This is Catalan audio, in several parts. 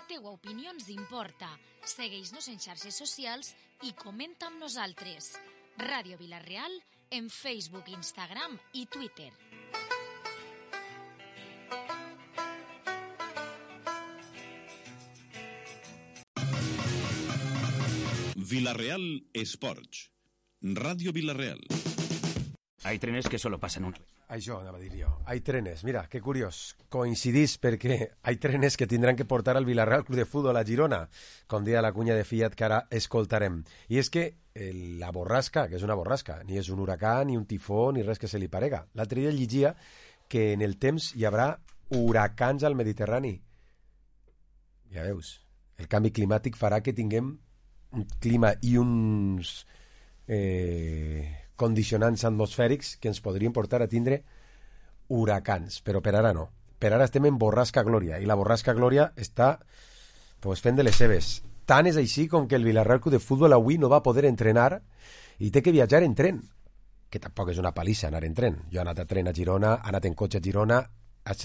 La teua opinió ens importa. Segueix-nos en xarxes socials i comenta amb nosaltres. Ràdio Vila-real en Facebook, Instagram i Twitter. Vila-real Esports. Radio Vila-real. Hay trenes que solo pasan una vez. Això anava a dir jo. Hay trenes. Mira, que curiós. Coincidís perquè hay trenes que tindran que portar al Vila-real Club de Futbol a Girona, com deia la cunya de Fiat que ara escoltarem. I és que la borrasca, que és una borrasca, ni és un huracà, ni un tifó, ni res que se li parega. L'altre dia llegia que en el temps hi haurà huracans al Mediterrani. Ja veus, el canvi climàtic farà que tinguem un clima i uns condicionants atmosfèrics que ens podrien portar a tindre huracans, però per ara no. Per ara estem en borrasca glòria, i la borrasca glòria està fent de les seves. Tant és així com que el Vila-real Club de Futbol avui no va poder entrenar i té que viatjar en tren, que tampoc és una palissa anar en tren. Jo he anat a tren a Girona, he anat en cotxe a Girona, a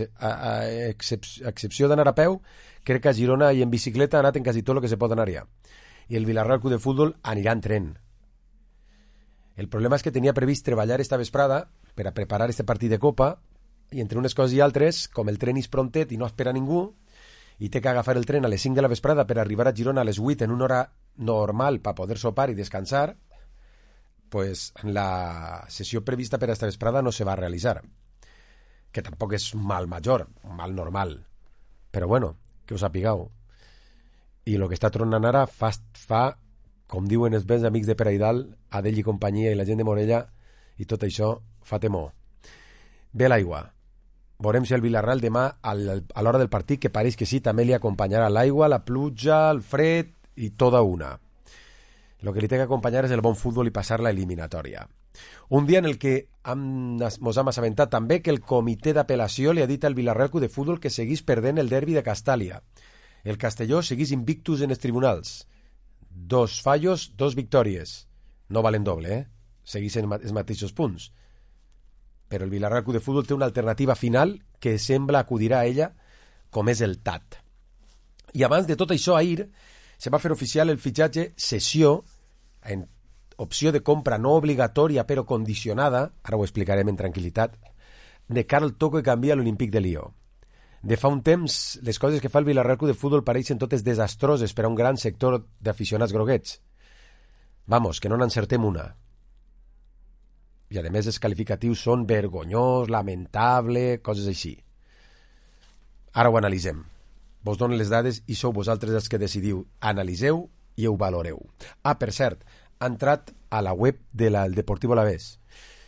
excepció d'anar a peu, crec que a Girona i en bicicleta he anat en quasi tot el que se pot anar-hi. I el Vila-real Club de Futbol anirà en tren. El problema és que tenia previst treballar esta vesprada per a preparar este partit de Copa i entre unes coses i altres, com el tren és prontet i no espera ningú, i té que agafar el tren a les 5 de la vesprada per arribar a Girona a les 8 en una hora normal per poder sopar i descansar, pues la sessió prevista per a esta vesprada no se va realitzar. Que tampoc és un mal major, un mal normal. Però bueno, que us sapigueu. I el que està tronant ara fa com diuen els bens amics de Peraidal, Adell i companyia i la gent de Morella, i tot això fa temor. Ve l'aigua. Veurem si el Vila-real demà a l'hora del partit, que pareix que sí, també li acompanyarà l'aigua, la pluja, el fred i tota una. El que li té que acompanyar és el bon futbol i passar la eliminatòria. Un dia en el que mos hem assabentat també que el comitè d'apel·lació li ha dit al Vila-real Club de Futbol que seguís perdent el derbi de Castàlia. El Castelló seguís invictus en els tribunals. 2 fallos, 2 victòries. No valen doble, segueixen els mateixos punts. Però el Vila-real Club de Futbol té una alternativa final que sembla acudirà a ella, com és el TAT. I abans de tot això, ahir se va fer oficial el fitxatge cessió en opció de compra no obligatòria però condicionada, ara ho explicarem en tranquil·litat, de Karl Toko que canvia l'Olímpic de Lió. De fa un temps, les coses que fa el Vila-real Club de Futbol pareixen totes desastroses per a un gran sector d'aficionats groguets. Vamos, que no n'encertem una. I a més els qualificatius són vergonyós, lamentable, coses així. Ara ho analitzem. Vos donen les dades i sou vosaltres els que decidiu. Analiseu i ho valoreu. Ah, per cert, ha entrat a la web del Deportivo Alavés.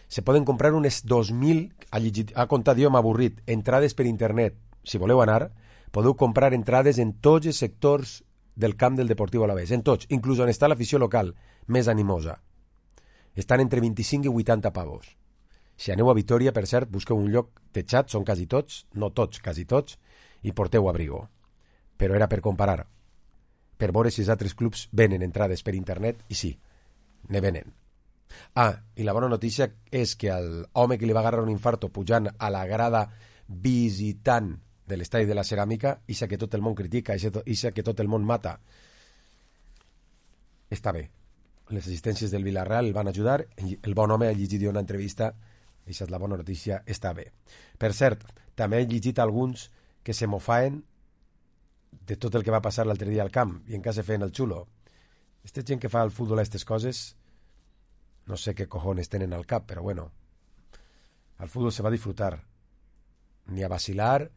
Se poden comprar unes 2.000, ha comptat jo, m'ha avorrit, entrades per internet. Si voleu anar, podeu comprar entrades en tots els sectors del camp del Deportivo Alavés, en tots, inclús on està l'afició local, més animosa. Estan entre 25 i 80 pavos. Si aneu a Vitoria, per cert, busqueu un lloc techat, són quasi tots, no tots, quasi tots, i porteu abrigo. Però era per comparar, per veure si els altres clubs venen entrades per internet, i sí, ne venen. Ah, i la bona notícia és que el home que li va agarrar un infarto pujant a la grada visitant de l'estadi de la Ceràmica, ixa que tot el món critica, ixa que tot el món mata, està bé. Les assistències del Vila-real el van ajudar, el bon home ha llegit una entrevista, ixa és la bona notícia, està bé. Per cert, també he llegit alguns que se mofaen de tot el que va passar l'altre dia al camp, i en cas de fer el xulo. Aquesta gent que fa al futbol aquestes coses, no sé què cojones tenen al cap, però bueno, al futbol se va a disfrutar, ni a vacilar,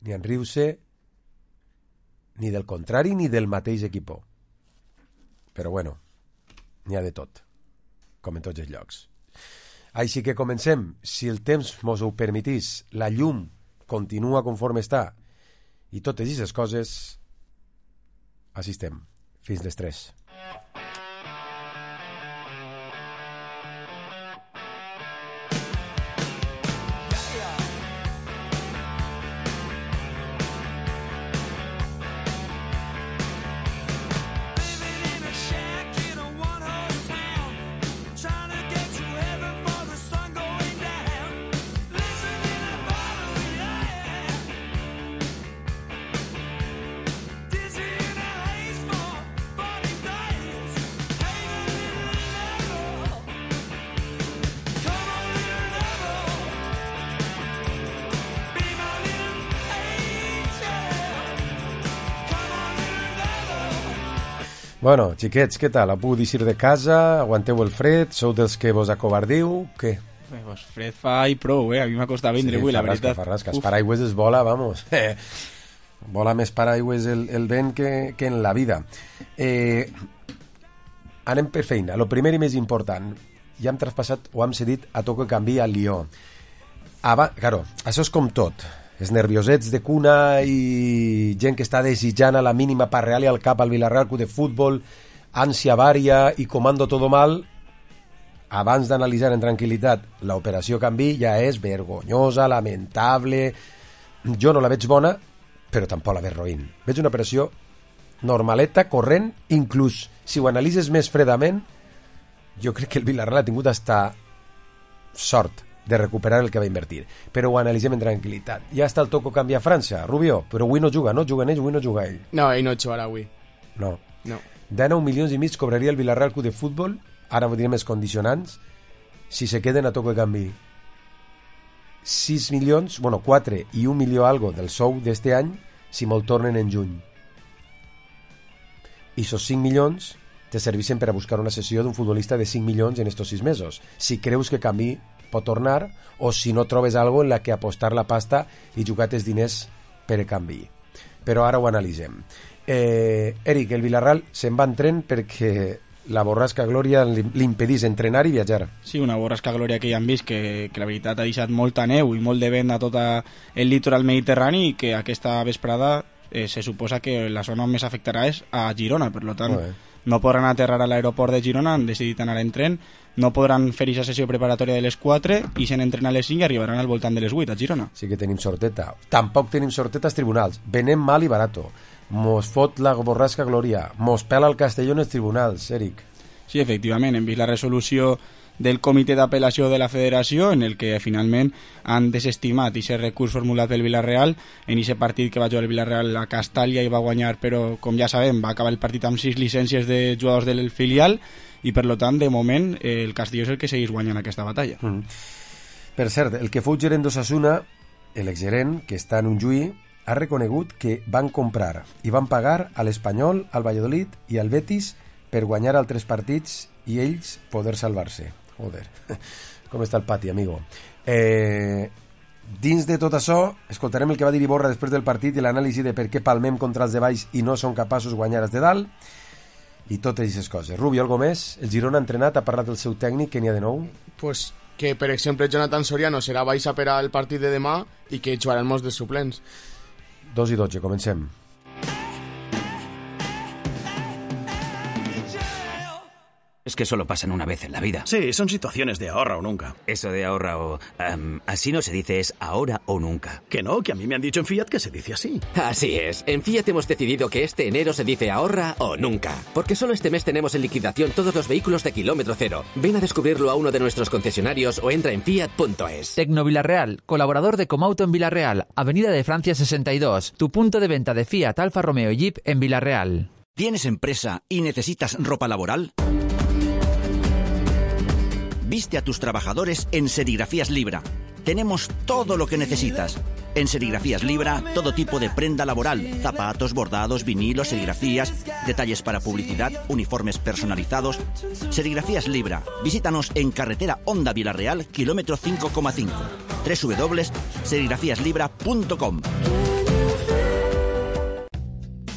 ni a enriure, ni del contrari ni del mateix equip. Però bueno, n'hi ha de tot, com en tots els llocs. Així que comencem. Si el temps mos ho permetís, la llum continua conforme està i totes aquestes coses, així estem, fins les 3. Did Bueno, xiquets, què tal? Heu pogut eixir de casa? Aguanteu el fred? Sou dels que vos acobardiu? Què? Pues fred fa i prou, A mi m'ha costat vindre avui, la veritat. Farrasca. Els paraigües es vola, vamos. Vola més paraigües el vent que en la vida. Anem per feina. Lo primer i més important. Ja hem traspassat o hem cedit a Toko Canvi al Lió. Claro, això és com tot. Els nerviosets de cuna i gent que està desitjant a la mínima parrear-li al cap al Villarreal Club de Futbol, ànsia vària i comando todo mal. Abans d'analitzar en tranquil·litat l'operació Canvi ja és vergonyosa, lamentable. Jo no la veig bona, però tampoc la veig roïn. Veig una operació normaleta, corrent, inclús si ho analitzes més fredament, jo crec que el Villarreal ha tingut hasta sort de recuperar el que va invertir, però ho analitzem en tranquil·litat. Ja està el Toko Canvi a França, Rubio, però avui no juga, no? Juguen ells, avui no juga ell. No, ell no jugarà avui. No. 19,5 milions cobraria el Villarreal Club de Futbol, ara ho direm els condicionants, si se queden a Toko Canvi. 6 milions, 4 i 1 milió algo del sou d'este any, si me'l tornen en juny. I esos 5 milions te serveixen per a buscar una sessió d'un futbolista de 5 milions en estos 6 mesos. Si creus que Canvi pot tornar, o si no trobes algo en la que apostar la pasta i jugar els diners per a Canvi. Però ara ho analitzem. Eric, el Villarreal se'n va en tren perquè la borrasca Glòria li impedís entrenar i viatjar. Sí, una borrasca Glòria que ja hem vist que la veritat ha deixat molta neu i molt de vent a tot el litoral mediterrani i que aquesta vesprada se suposa que la zona on més afectarà és a Girona, per tant no podran aterrar a l'aeroport de Girona, han decidit anar en tren, no podran fer aquesta sessió preparatòria de les 4 i se n'entren a les 5 i arribaran al voltant de les 8 a Girona. Sí que tenim sorteta. Tampoc tenim sorteta als tribunals. Venem mal i barato. Mos fot la borrasca Glòria. Mos pela el Castelló en els tribunals, Eric. Sí, efectivament, hem vist la resolució del comitè d'apel·lació de la federació en el que finalment han desestimat aquest recurs formulat pel Villarreal en aquest partit que va jugar el Villarreal a Castàlia i va guanyar, però com ja sabem va acabar el partit amb 6 llicències de jugadors del filial i per tant de moment el Castelló és el que segueix guanyant aquesta batalla. Per cert, el que fou gerent d'Osasuna, l'exgerent que està en un juí, ha reconegut que van comprar i van pagar a l'Espanyol, al Valladolid i al Betis per guanyar altres partits i ells poder salvar-se. Joder, com està el pati, amigo. Dins de tot això, escoltarem el que va dir Iborra després del partit i l'anàlisi de per què palmem contra els de baix i no són capaços de guanyar els de dalt i totes aquestes coses. Rubio, algo més? El Girona ha entrenat, ha parlat del seu tècnic, que n'hi ha de nou? Pues que, per exemple, Jonathan Soriano serà baixa per al partit de demà i que jugaran molts de suplents. 2:12, comencem. Es que solo pasan una vez en la vida. Sí, son situaciones de ahorra o nunca. Eso de ahorra o... así no se dice, es ahora o nunca. Que no, que a mí me han dicho en Fiat que se dice así. Así es. En Fiat hemos decidido que este enero se dice ahorra o nunca. Porque solo este mes tenemos en liquidación todos los vehículos de kilómetro cero. Ven a descubrirlo a uno de nuestros concesionarios o entra en fiat.es. Tecno Villarreal, colaborador de Comauto en Villarreal, Avenida de Francia 62. Tu punto de venta de Fiat, Alfa Romeo y Jeep en Villarreal. ¿Tienes empresa y necesitas ropa laboral? Viste a tus trabajadores en Serigrafías Libra. Tenemos todo lo que necesitas. En Serigrafías Libra, todo tipo de prenda laboral, zapatos, bordados, vinilos, serigrafías, detalles para publicidad, uniformes personalizados. Serigrafías Libra. Visítanos en carretera Honda Villarreal, kilómetro 5,5. www.serigrafíaslibra.com.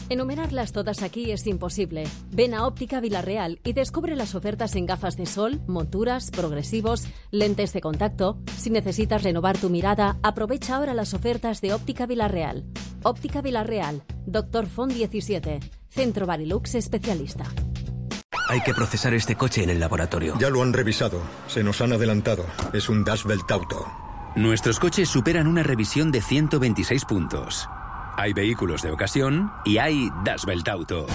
Enumerarlas todas aquí es imposible. Ven a Óptica Villarreal y descubre las ofertas en gafas de sol, monturas, progresivos, lentes de contacto. Si necesitas renovar tu mirada, aprovecha ahora las ofertas de Óptica Villarreal. Óptica Villarreal, Dr. Font 17, Centro Barilux especialista. Hay que procesar este coche en el laboratorio. Ya lo han revisado. Se nos han adelantado. Es un Das Welt Auto. Nuestros coches superan una revisión de 126 puntos. Hay vehículos de ocasión y hay Das Welt Auto.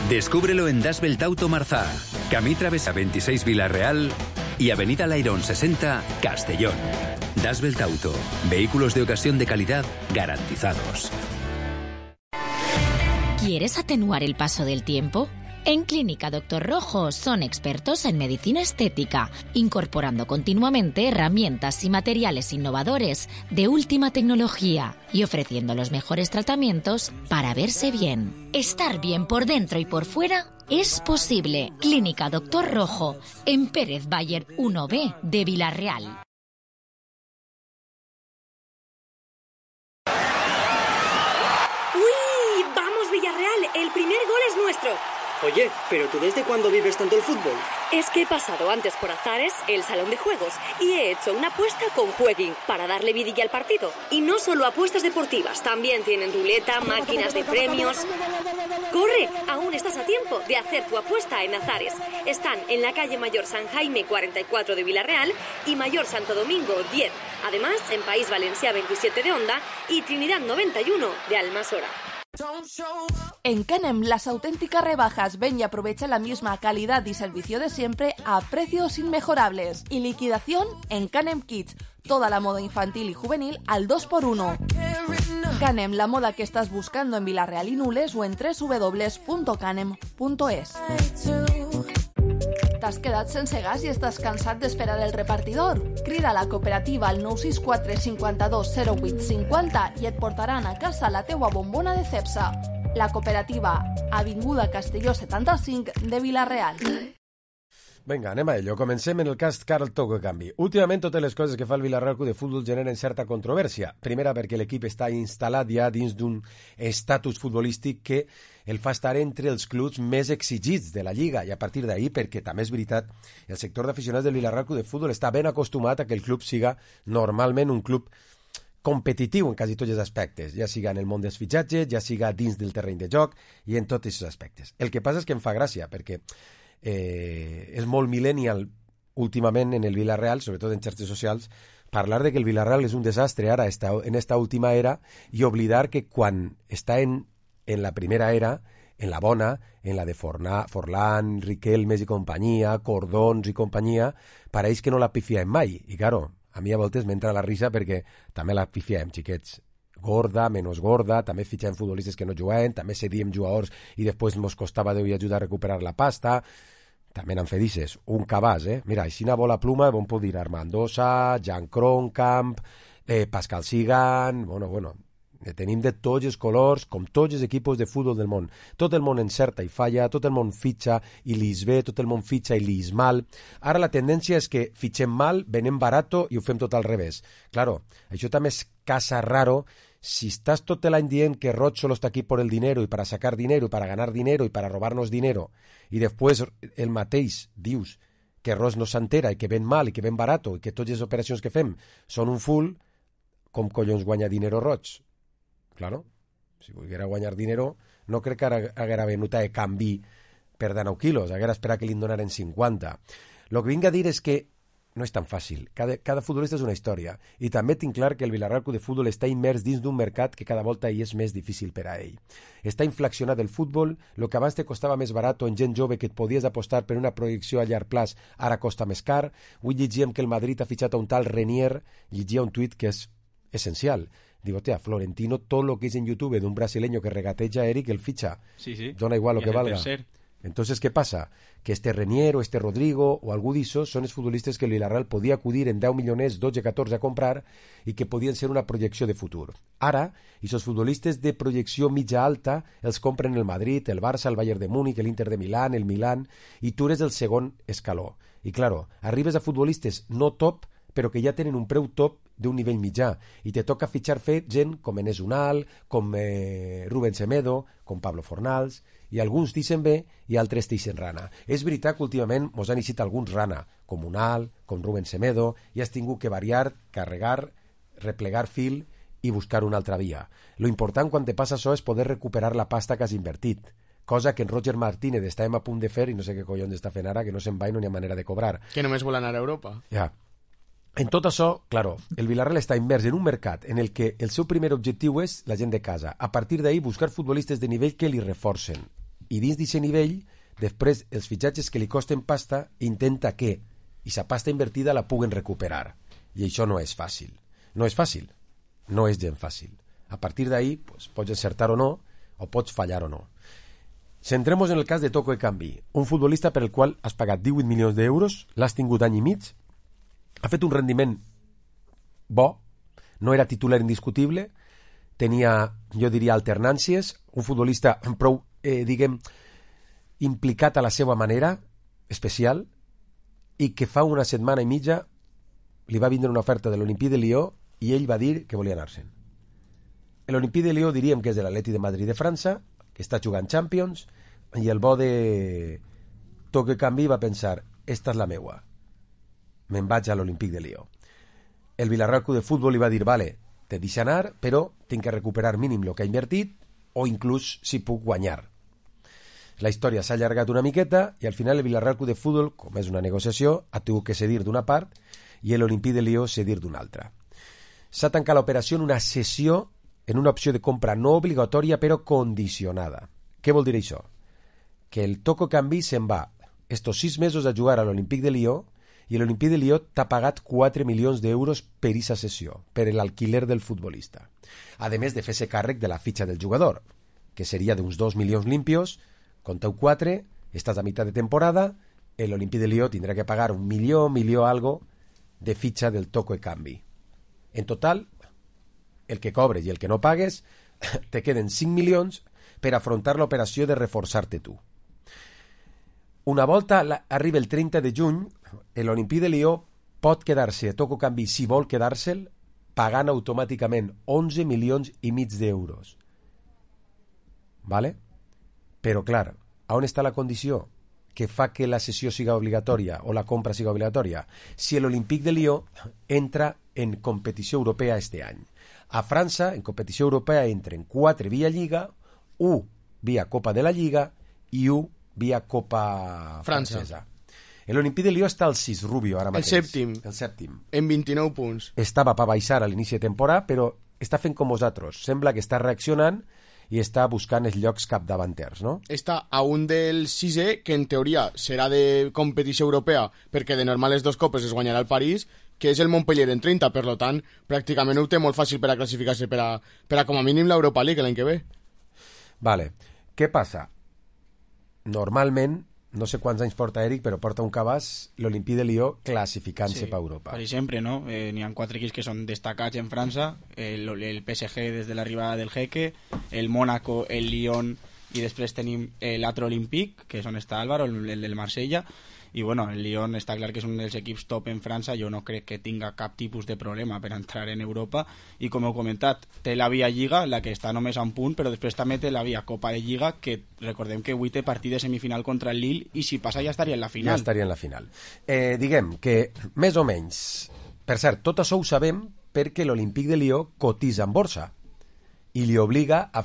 Descúbrelo en Das Welt Auto Marzá, Camí Travesa 26 Villarreal y Avenida Lairón 60 Castellón. Das Welt Auto. Vehículos de ocasión de calidad garantizados. ¿Quieres atenuar el paso del tiempo? En Clínica Doctor Rojo son expertos en medicina estética, incorporando continuamente herramientas y materiales innovadores de última tecnología y ofreciendo los mejores tratamientos para verse bien. Estar bien por dentro y por fuera es posible. Clínica Doctor Rojo, en Pérez Bayer 1B de Villarreal. ¡Uy! ¡Vamos, Villarreal! El primer gol es nuestro. Oye, ¿pero tú desde cuándo vives tanto el fútbol? Es que he pasado antes por Azares, el salón de juegos, y he hecho una apuesta con Jueguin para darle vidilla al partido. Y no solo apuestas deportivas, también tienen ruleta, máquinas de premios. ¡Corre! Aún estás a tiempo de hacer tu apuesta en Azares. Están en la calle Mayor San Jaime 44 de Villarreal y Mayor Santo Domingo 10. Además, en País Valencià 27 de Onda y Trinidad 91 de Almasora. En Canem, las auténticas rebajas. Ven y aprovecha la misma calidad y servicio de siempre a precios inmejorables. Y liquidación en Canem Kids. Toda la moda infantil y juvenil al 2x1. Canem, la moda que estás buscando en Villarreal y Nules o en www.canem.es. T'has quedat sense gas i estàs cansat d'esperar el repartidor? Crida a la cooperativa al 964 52 08 50 i et portaran a casa la teua bombona de Cepsa. La cooperativa, Avinguda Castelló 75 de Villarreal. Vinga, anem a ello. Comencem en el cas Carl Toco Canvi. Últimament totes les coses que fa el Villarreal Club de Futbol generen certa controvèrsia. Primera perquè l'equip està instal·lat ja dins d'un estatus futbolístic que el fa estar entre els clubs més exigits de la Lliga i a partir d'ahir, perquè també és veritat, el sector d'aficionats del Villarreal Club de Futbol està ben acostumat a que el club siga normalment un club competitiu en quasi tots els aspectes, ja siga en el món dels fitxatges, ja siga dins del terreny de joc i en tots aquests aspectes. El que passa és que em fa gràcia, perquè és molt millennial últimament en el Villarreal, sobretot en xarxes socials, parlar de que el Villarreal és un desastre ara en esta última era i oblidar que quan està en la primera era, en la bona, en la de Forlán, Riquelmes i companyia, Cordons i companyia, pareix que no la pifiem mai. I claro, a mi a voltes m'entra la risa perquè també la pifiem, xiquets. Gorda, menos gorda, també fitxem futbolistes que no juguen, també cedíem jugadors i després ens costava Déu i ajudar a recuperar la pasta. També n'han fedices. Un cabàs, Mira, així una bola pluma, on puc dir Armandosa, Jan Kronkamp, Pascal Sigan, bueno, tenim de tots els colors, com tots els equips de futbol del món. Tot el món encerta i falla, tot el món fitxa i lis bé, tot el món fitxa i lis mal. Ara la tendència és que fitxem mal, venem barato i ho fem tot al revés. Claro, això també és casa raro. Si estás todo el año diciendo que Roch solo está aquí por el dinero y para sacar dinero y para ganar dinero y para robarnos dinero y después el mateix dius que Roch no s'entera i que ven mal i que ven barato i que totes les operacions que fem són un full, com collons guanya dinero Roch? Claro, si volguera guanyar dinero no crec que haguera venut a canvi per 19 quilos, haguera esperat que li donaren 50. Lo que vinc a dir és que no és tan fàcil. Cada futbolista és una història. I també tinc clar que el Villarreal Club de Futbol està immers dins d'un mercat que cada volta hi és més difícil per a ell. Està inflacionat el futbol, el que abans te costava més barat en gent jove que et podies apostar per una projecció a llarg plaç, ara costa més car. Avui llegíem que el Madrid ha fitxat a un tal Renier, llegia un tuit que és essencial. Diu, hòstia, Florentino, tot lo que és en YouTube d'un brasileño que regateja a Eric, el fitxa. Sí. Dona igual lo que valga. Entonces, ¿qué pasa? Que este Renier o este Rodrigo o algú d'issos són els futbolistes que el Villarreal podia acudir en 10 milioners, 12, 14 a comprar i que podien ser una projecció de futur. Ara, aquests futbolistes de projecció mitja alta els compren el Madrid, el Barça, el Bayern de Múnich, l'Inter de Milán, el Milán, i tu eres el segon escaló. I claro, arribes a futbolistes no top, però que ja tenen un preu top d'un nivell mitjà, i te toca fitxar gent com Enes Unal, com Rubén Semedo, com Pablo Fornals, i alguns dicen bé i altres dicen rana. És veritat que últimament mos han eixit alguns rana, com Unal, com Rubén Semedo, i has tingut que variar, carregar, replegar fil i buscar una altra via. Lo important quan te passa això és poder recuperar la pasta que has invertit, cosa que en Roger Martínez estàvem a punt de fer i no sé què collons està fent ara, que no se'n va i no hi ha manera de cobrar. Que només vol anar a Europa. Ja. En tot això, claro, el Villarreal està immers en un mercat en el que el seu primer objectiu és la gent de casa. A partir d'ahir, buscar futbolistes de nivell que li reforcen. I dins d'aquest nivell, després, els fitxatges que li costen pasta, intenta que, i sa pasta invertida la puguen recuperar. I això no és fàcil. No és fàcil. No és gent fàcil. A partir d'ahir, pues, pots encertar o no, o pots fallar o no. Centrem-nos en el cas de Toco Ekambi, un futbolista per el qual has pagat 18 milions d'euros, l'has tingut any i mig, ha fet un rendiment bo, no era titular indiscutible, tenia, jo diria, alternàncies, un futbolista prou, implicat a la seva manera, especial, i que fa una setmana i mitja li va vindre una oferta de l'Olympique de Lió i ell va dir que volia anar-se'n. L'Olympique de Lió diríem que és de l'Atleti de Madrid de França, que està jugant Champions, i el bo de Toque Canvi va pensar, esta és la meua, me'n vaig a l'Olympique de Lió. El Villarreal Club de Futbol li va dir, vale, te deixa anar, però tinc que recuperar mínim el que ha invertit, o inclús si puc guanyar. La història s'ha allargat una miqueta i al final el Villarreal Club de Futbol, com és una negociació, ha tingut que cedir d'una part i l'Olympique de Lió cedir d'una altra. S'ha tancat l'operació en una cessió, en una opció de compra no obligatòria però condicionada. Què vol dir això? Que el Toco Canvi se'n va estos 6 mesos a jugar a l'Olympique de Lió i l'Olympique de Lió t'ha pagat 4 milions d'euros per aquesta sessió, per l'alquiler del futbolista. A més de fer-se càrrec de la fitxa del jugador, que seria d'uns 2 milions limpios, conteu 4, estàs a meitat de temporada, l'Olympique de Lió tindrà que pagar 1 milió algo de fitxa del Toco Canvi. En total, el que cobres i el que no pagues, te queden 5 milions per afrontar l'operació de reforçar-te tu. Una volta arriba el 30 de juny, l'Olympique de Lió pot quedar-se a Toco Canvi, si vol quedar-se'l, pagant automàticament 11 milions i mig d'euros. Vale? Però, clar, on està la condició que fa que la cessió siga obligatòria o la compra siga obligatòria? Si l'Olympique de Lió entra en competició europea este any. A França, en competició europea, entren 4 via Lliga, 1 via Copa de la Lliga i 1 via Copa francesa. L'Olympique de Lió està al 6, Rubio, ara mateix. El sèptim. En 29 punts. Estava per baixar a l'inici de temporada, però està fent com vosaltres. Sembla que està reaccionant i està buscant els llocs capdavanters, no? Està a un del 6è, que en teoria serà de competició europea, perquè de normal les 2 copes es guanyarà el París, que és el Montpellier en 30, per tant, pràcticament ho té molt fàcil per a classificar-se per a com a mínim l'Europa League l'any que ve. Vale. Què passa? Normalment, no sé quants anys porta Eric, però porta un cabàs l'Olympique de Lió classificant-se per Europa. Per exemple, no? N'hi ha 4 equips que són destacats en França, el PSG des de l'arribada del Jeque, el Mónaco, el Lyon, i després tenim l'altre Olympique, que és on està Álvaro, el del Marsella, i bueno, el Lyon està clar que és un dels equips top en França. Jo no crec que tinga cap tipus de problema per entrar en Europa, i com heu comentat, té la via Lliga, la que està només a un punt, però després també té la via Copa de Lliga, que recordem que avui té partit de semifinal contra el Lille, i si passa ja estaria en la final. Ja estaria en la final. Diguem que més o menys, per cert, tot això ho sabem perquè l'Olympique de Lió cotitza en borsa i li obliga a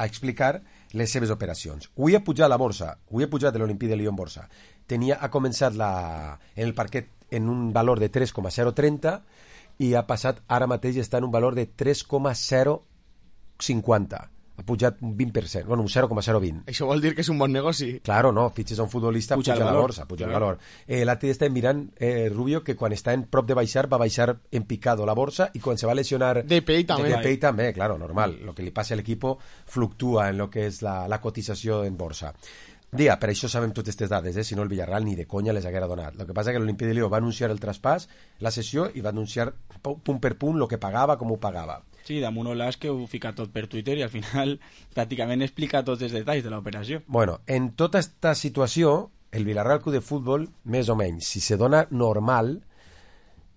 explicar les seves operacions. Avui ha pujat la borsa, avui ha pujat l'Olympique de Lió en borsa. Ha començat en el parquet en un valor de 3,030 i ha passat, ara mateix està en un valor de 3,050. Ha pujat un 20%, bueno, un 0,020. Això vol dir que és un bon negoci. Claro, no, fitxes a un futbolista, puja la borsa, puja el valor. L'altre dia estem mirant, Rubio, que quan està en prop de baixar, va baixar en picado la borsa, i quan se va lesionar... Depay també, claro, normal. Lo que li passa a l'equipo fluctúa en lo que és la cotització en borsa. Dia, per això sabem totes aquestes dades, si no el Villarreal ni de conya les haguera donat. El que passa és que l'Olympique de Lió va anunciar el traspàs, la sessió, i va anunciar punt per punt el que pagava, com ho pagava. Sí, damunt Olàs que ho fica tot per Twitter i al final pràcticament explica tots els detalls de l'operació. Bueno, en tota aquesta situació, el Villarreal Club de Futbol, més o menys, si se dona normal,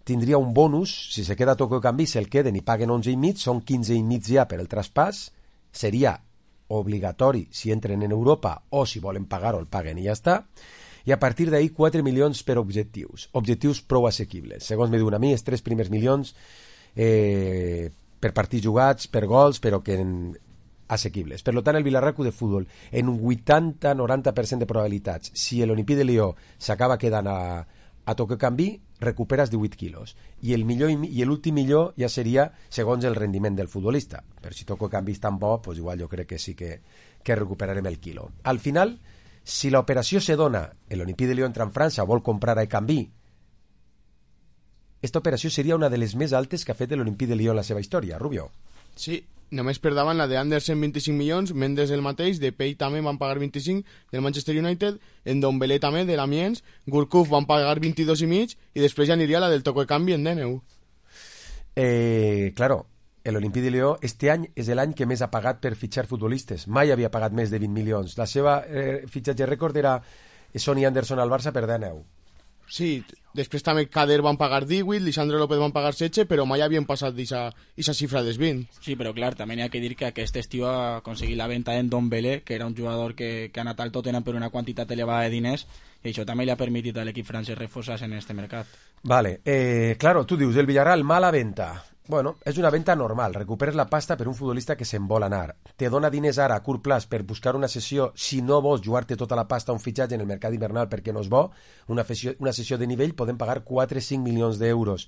tindria un bonus, si se queda Toco Canvi, se'l queden i paguen 11,5, són 15,5 ja per el traspàs, seria obligatori si entren en Europa, o si volen pagar-ho el paguen i ja està, i a partir d'ahir 4 milions per objectius prou assequibles. Segons me diuen a mi, els 3 primers milions per partits jugats, per gols, però que assequibles. Per tant, el Villarreal Club de Futbol, en un 80-90% de probabilitats, si l'Olympique de Lió s'acaba quedant a Toco Canvi, recuperes 18 quilos. I l'últim millor ja seria segons el rendiment del futbolista. Però si Toco Canvi és tan bo, pues igual jo crec que sí que recuperarem el quilo. Al final, si l'operació se dona, l'Olympique de Lió entra en França, vol comprar a Canvi, aquesta operació seria una de les més altes que ha fet l'Olympique de Lió en la seva història, Rubio. Sí, només per davant la de Andersen 25 milions, Mendes el mateix, Depay també van pagar 25 del Manchester United, Ndombele també de l'Amiens, Gourcuff van pagar 22,5 i després ja aniria la del Toco de Canvi en Deneu. Claro, l'Olympique de Lió este any és l'any que més ha pagat per fitxar futbolistes. Mai havia pagat més de 20 milions. La seva fitxatge rècord era Sonny Anderson al Barça per 10. Sí, després també Kader van pagar 18, Lisandro López van pagar 16, però mai havien passat d'aquesta xifra dels 20. Sí, però clar, també n'hi ha que dir que aquest estiu ha aconseguit la venta en Dombele, que era un jugador que ha anat al Tottenham per una quantitat elevada de diners, i això també li ha permitit a l'equip francès reforçar-se en este mercat. Vale, claro, tu dius, el Villarreal, mala venta. Bueno, és una venta normal, recuperes la pasta per un futbolista que se'n vol anar. Te dona diners ara a curt plaç per buscar una sessió, si no vols jugar-te tota la pasta a un fitxatge en el mercat hivernal perquè no és bo, una sessió de nivell podem pagar 4-5 milions d'euros.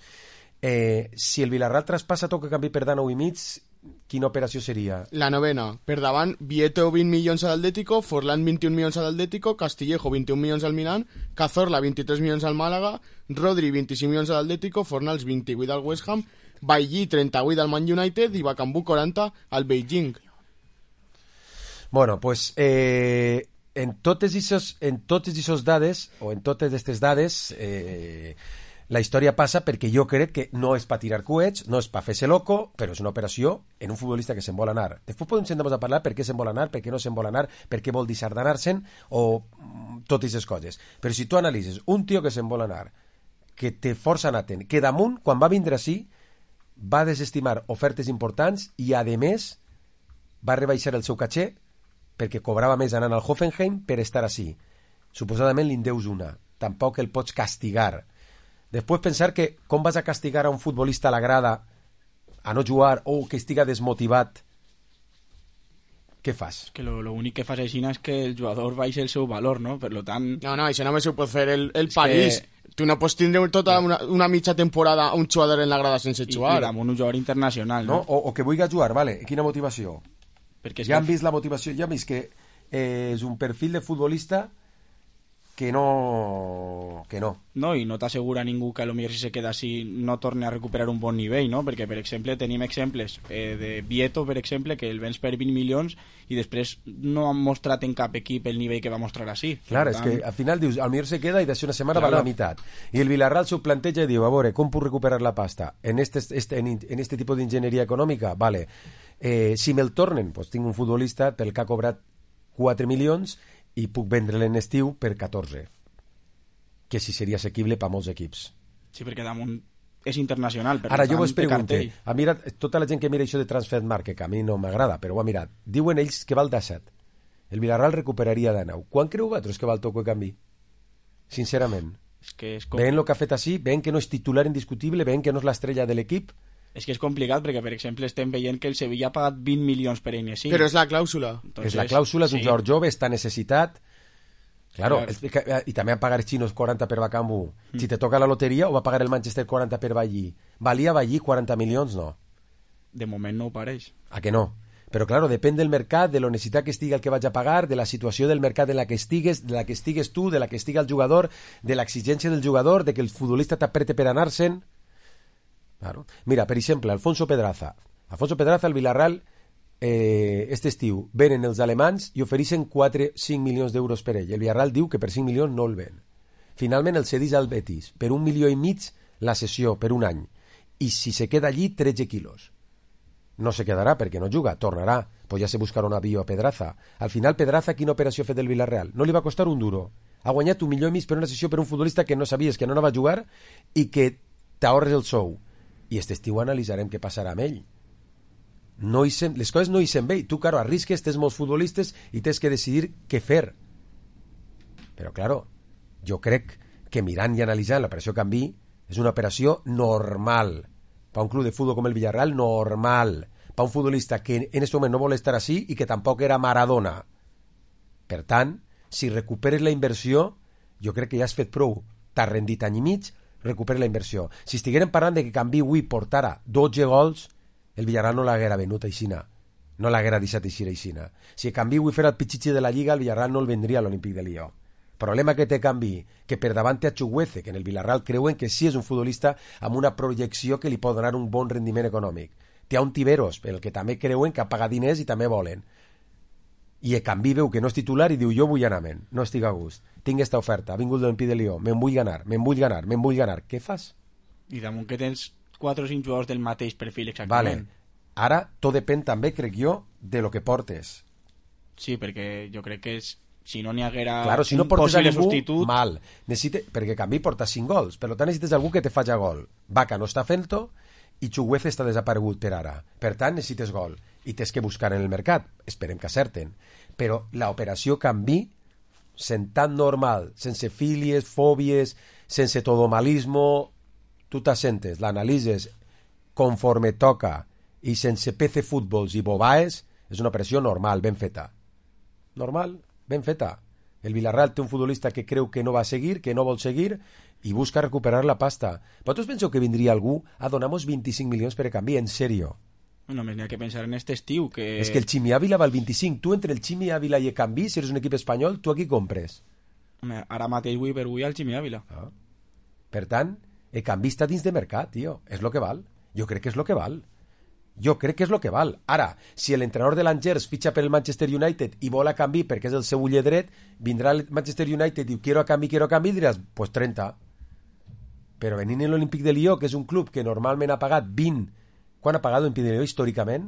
Si el Villarreal traspassa tot que canvi per 9,5, quina operació seria? La novena. Per davant, Vieto 20 milions a l'Atlético, Forlán 21 milions a l'Atlético, Castillejo 21 milions al Milan, Cazorla 23 milions al Màlaga, Rodri 25 milions a l'Atlético, Fornals 28 al West Ham, Bailly 38 al Man United i Bakambu 40 al Beijing. Bueno, pues en totes aquestes dades, o en totes aquestes dades, la història passa perquè jo crec que no és per tirar coets, no és per fer-se loco, però és una operació en un futbolista que se'n vol anar. Després podem sentar-nos a parlar per què se'n vol anar, per què no se'n vol anar, per què vol disardanar-se'n, o totes aquestes coses. Però si tu analitzes un tio que se'n vol anar, que té força natent, que damunt, quan va vindre així, va desestimar ofertes importants i, a més, va rebaixar el seu caché perquè cobrava més anant al Hoffenheim per estar així. Suposadament li en deus una. Tampoc el pots castigar. Després pensar que com vas a castigar a un futbolista a la grada a no jugar o que estiga desmotivat, què fas? Que l'únic que fas així és que el jugador baixa el seu valor, no? Per tant... No, això només ho pot fer el París. Tu no pots tindre tota una mitja temporada un jugador en la grada sense jugar. I damunt un jugador internacional, no? O que vulgui jugar, vale. Quina motivació? Perquè ja han vist la motivació, ja han vist que és un perfil de futbolista que no... No, i no t'assegura ningú que potser si se queda així no torni a recuperar un bon nivell, no? Perquè, per exemple, tenim exemples de Vieto, per exemple, que el vens per 20 milions i després no han mostrat en cap equip el nivell que va mostrar així. Clar, és que al final dius, al millor se queda i d'així una setmana va a la meitat. I el Villarreal s'ho planteja i diu, a veure, com puc recuperar la pasta? En este tipus d'enginyeria econòmica? Vale. Si me'l tornen, pues tinc un futbolista pel que ha cobrat 4 milions i puc vendre-lo en estiu per 14, que sí seria assequible per molts equips. Sí, perquè damunt és internacional. Ara jo vos pregunto, tota la gent que mira això de Transfermarkt, que a mi no m'agrada, però ho ha mirat, diuen ells que val 17. El Villarreal recuperaria de 9. Quan creu vosaltres que val Toko de canvi? Sincerament. Veient el que ha fet així, veient que no és titular indiscutible, veient que no és l'estrella de l'equip. És que és complicat perquè, per exemple, estem veient que el Sevilla ha pagat 20 milions per Enesí. Però és la clàusula. Entonces, és la clàusula, és un jugador jove, està necessitat. Claro, i també han pagar els xinos 40 per Bakambu. Si te toca la loteria, o va pagar el Manchester 40 per Bailly? Valia Bailly 40 milions, no? De moment no ho pareix. A que no? Però, claro, depèn del mercat, de la necessitat que estigui el que vaig a pagar, de la situació del mercat en la que estigues, de la que estigues tu, de la que estigui el jugador, de l'exigència del jugador, de que el futbolista t'aprete per anar-se'n. Claro. Mira, per exemple, Alfonso Pedraza, el Villarreal, este estiu venen els alemans i ofereixen 4-5 milions d'euros per ell. El Villarreal diu que per 5 milions no el ven. Finalment el cedeix al Betis per 1,5 milions la sessió per un any, i si se queda allí 13 quilos. No se quedarà perquè no juga, tornarà, pues ja se buscarà un avió a Pedraza. Al final Pedraza, quina operació ha fet el Villarreal? No li va costar un duro. Ha guanyat 1,5 milions per una sessió per un futbolista que no sabies que no va a jugar i que t'ahorres el sou. I aquest estiu analitzarem què passarà amb ell. Les coses no hi se'n bé. Tu, claro, arrisques, tens molts futbolistes i tens que decidir què fer. Però, claro, jo crec que mirant i analitzant l'operació canvi és una operació normal. Per un club de futbol com el Villarreal, normal. Per un futbolista que en aquest moment no vol estar així i que tampoc era Maradona. Per tant, si recuperes la inversió, jo crec que ja has fet prou. T'has rendit any i mig, recupera la inversió. Si estiguérem parlant de que Canvi avui portara 12 gols, el Villarreal no l'haguera venut aixina. No l'haguera deixat aixina. Si Canvi avui fera el pitxitxi de la Lliga, el Villarreal no el vendria a l'Olímpic de Lió. Problema que té Canvi, que per davant té a Chukwueze, que en el Villarreal creuen que sí és un futbolista amb una projecció que li pot donar un bon rendiment econòmic. Té a un Tiberos, pel que també creuen que ha pagat diners i també volen. I el Canvi veu que no és titular i diu, jo vull anar-me'n, no estic a gust, tinc esta oferta, ha vingut l'Olímpic de Lió, me'n vull ganar. Què fas? I damunt que tens 4 o 5 jugadors del mateix perfil, exactament. Vale. Ara, tot depèn també, crec jo, de lo que portes. Sí, perquè jo crec que si no n'hi haguera claro, si no un portes a possible ningú, substitut... mal. Perquè Canvi porta 5 gols, per tant necessites algú que te faci gol. Vaca no està fent-ho i Chuguez està desaparegut per ara. Per tant, necessites gol. I tens que buscar en el mercat. Esperem que acerten. Però l'operació Canvi, sent tan normal, sense fílies, fòbies, sense todomalismo, tu t'assentes, l'analitzes conforme toca i sense PC fútbols i bobaes, és una operació normal, ben feta. Normal, ben feta. El Villarreal té un futbolista que creu que no va seguir, que no vol seguir, i busca recuperar la pasta. Vosaltres penseu que vindria algú a donar-nos 25 milions per a Canvi? En sèrio? Només n'hi ha que pensar en este estiu, que... És que el Chimi Ávila val 25. Tu entre el Chimi Ávila i el Canvi, si eres un equip espanyol, tu aquí compres. Home, ara mateix vull per avui al Chimi Ávila. Per tant, el Canvi està dins de mercat, tio. És lo que val. Jo crec que és lo que val. Jo crec que és lo que val. Ara, si l'entrenador de l'Angers fitxa per el Manchester United i vol a Canvi perquè és el seu ull dret, vindrà el Manchester United i diu quiero a Canvi, i diràs, pues 30. Però venint en l'Olímpic de Lió, que és un club que normalment ha pagat 20. Quan ha pagat l'Olímpic de Lió històricament?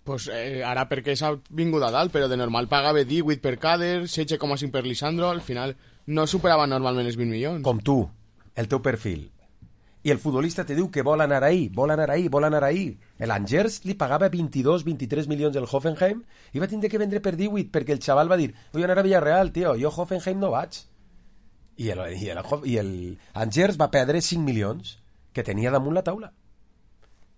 Pues ara perquè s'ha vingut a dalt, però de normal pagava 18 per Cader, 16,5 per Lisandro, al final no superava normalment els 20 milions. Com tu, el teu perfil. I el futbolista te diu que vol anar ahí, vol anar ahí, vol anar ahí. L'Angers li pagava 22-23 milions el Hoffenheim i va tindre que vendre per 18 perquè el xaval va dir, vull anar a Villarreal, tio, jo a Hoffenheim no vaig. I el Angers va perdre 5 milions que tenia damunt la taula.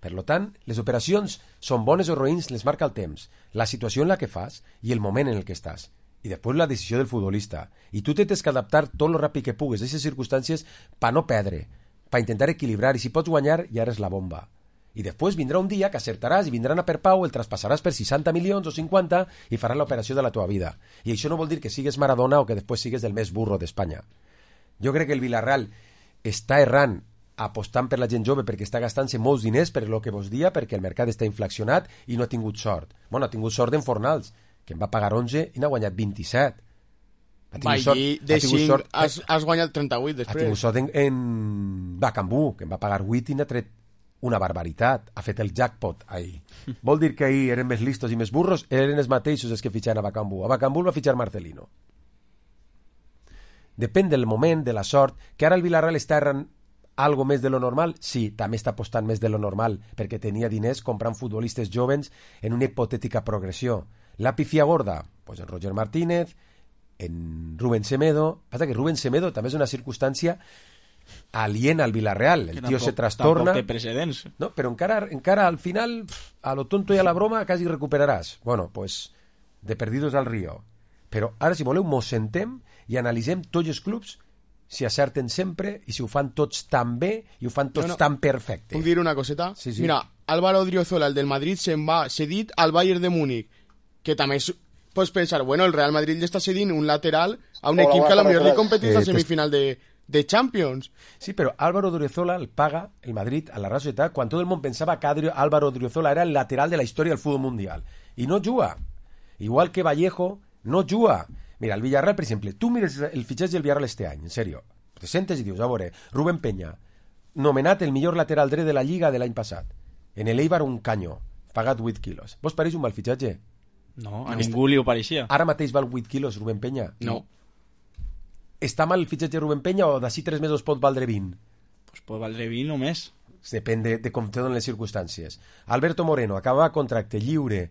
Per tant, les operacions són bones o roïns, les marca el temps, la situació en la que fas i el moment en el que estàs. I després la decisió del futbolista. I tu tens que adaptar tot el ràpid que pugues a aquestes circumstàncies per no perdre, per intentar equilibrar, i si pots guanyar ja eres la bomba. I després vindrà un dia que acertaràs i vindran a per pau, el traspassaràs per 60 milions o 50 i faràs l'operació de la teva vida. I això no vol dir que sigues Maradona o que després sigues el més burro d'Espanya. Jo crec que el Villarreal està errant apostant per la gent jove perquè està gastant-se molts diners per lo que vos dia, perquè el mercat està inflacionat i no ha tingut sort. Bueno, ha tingut sort en Fornals, que en va pagar 11 i n'ha guanyat 27. Allí de 5 has guanyat 38 després. Ha tingut sort en Bacambú, que en va pagar 8 i n'ha tret una barbaritat. Ha fet el jackpot ahir. Vol dir que ahir eren més listos i més burros, eren els mateixos els que fitxaven a Bacambú. A Bacambú el va fitxar Marcelino. Depèn del moment, de la sort, que ara el Villarreal està errant algo més de lo normal? Sí, també està apostant més de lo normal, perquè tenia diners comprant futbolistes jovens en una hipotètica progressió. La pifia gorda? Pues en Roger Martínez, en Rubén Semedo. Passa que Rubén Semedo també és una circumstància aliena al Villarreal. El tio se trastorna. Tampoc té precedents. No, però encara al final, a lo tonto i a la broma, quasi recuperaràs. Bueno, pues, de perdidos al río. Però ara, si voleu, mos sentem i analitzem tots els clubs si acerten sempre i si ho fan tots tan bé i ho fan tots tan perfecte. Puc dir una coseta? Sí, sí. Mira, Álvaro Odriozola, el del Madrid, se'n va cedit al Bayern de Múnich, que també pots pensar, bueno, el Real Madrid li està cedint un lateral a un equip que a lo millor li competeix a semifinal de Champions. Sí, però Álvaro Odriozola el paga el Madrid a la Real Societat quan tot el món pensava que Álvaro Odriozola era el lateral de la història del futbol mundial. I no juga. Igual que Vallejo no juga. Mira, el Villarreal, per exemple, tu mires el fitxatge del Villarreal este any, en sèrio, te sentes i dius, a veure, Rubén Peña, nomenat el millor lateral dret de la Lliga de l'any passat. En el Eibar un canyo, pagat 8 quilos. Vos pareix un mal fitxatge? No, a ningú li ho pareixia. Ara mateix val 8 quilos Rubén Peña? No. Està mal el fitxatge de Rubén Peña o d'ací 3 mesos pot valdre 20? Pues pot valdre 20 o més. Depèn de com te donen les circumstàncies. Alberto Moreno, acaba contracte lliure,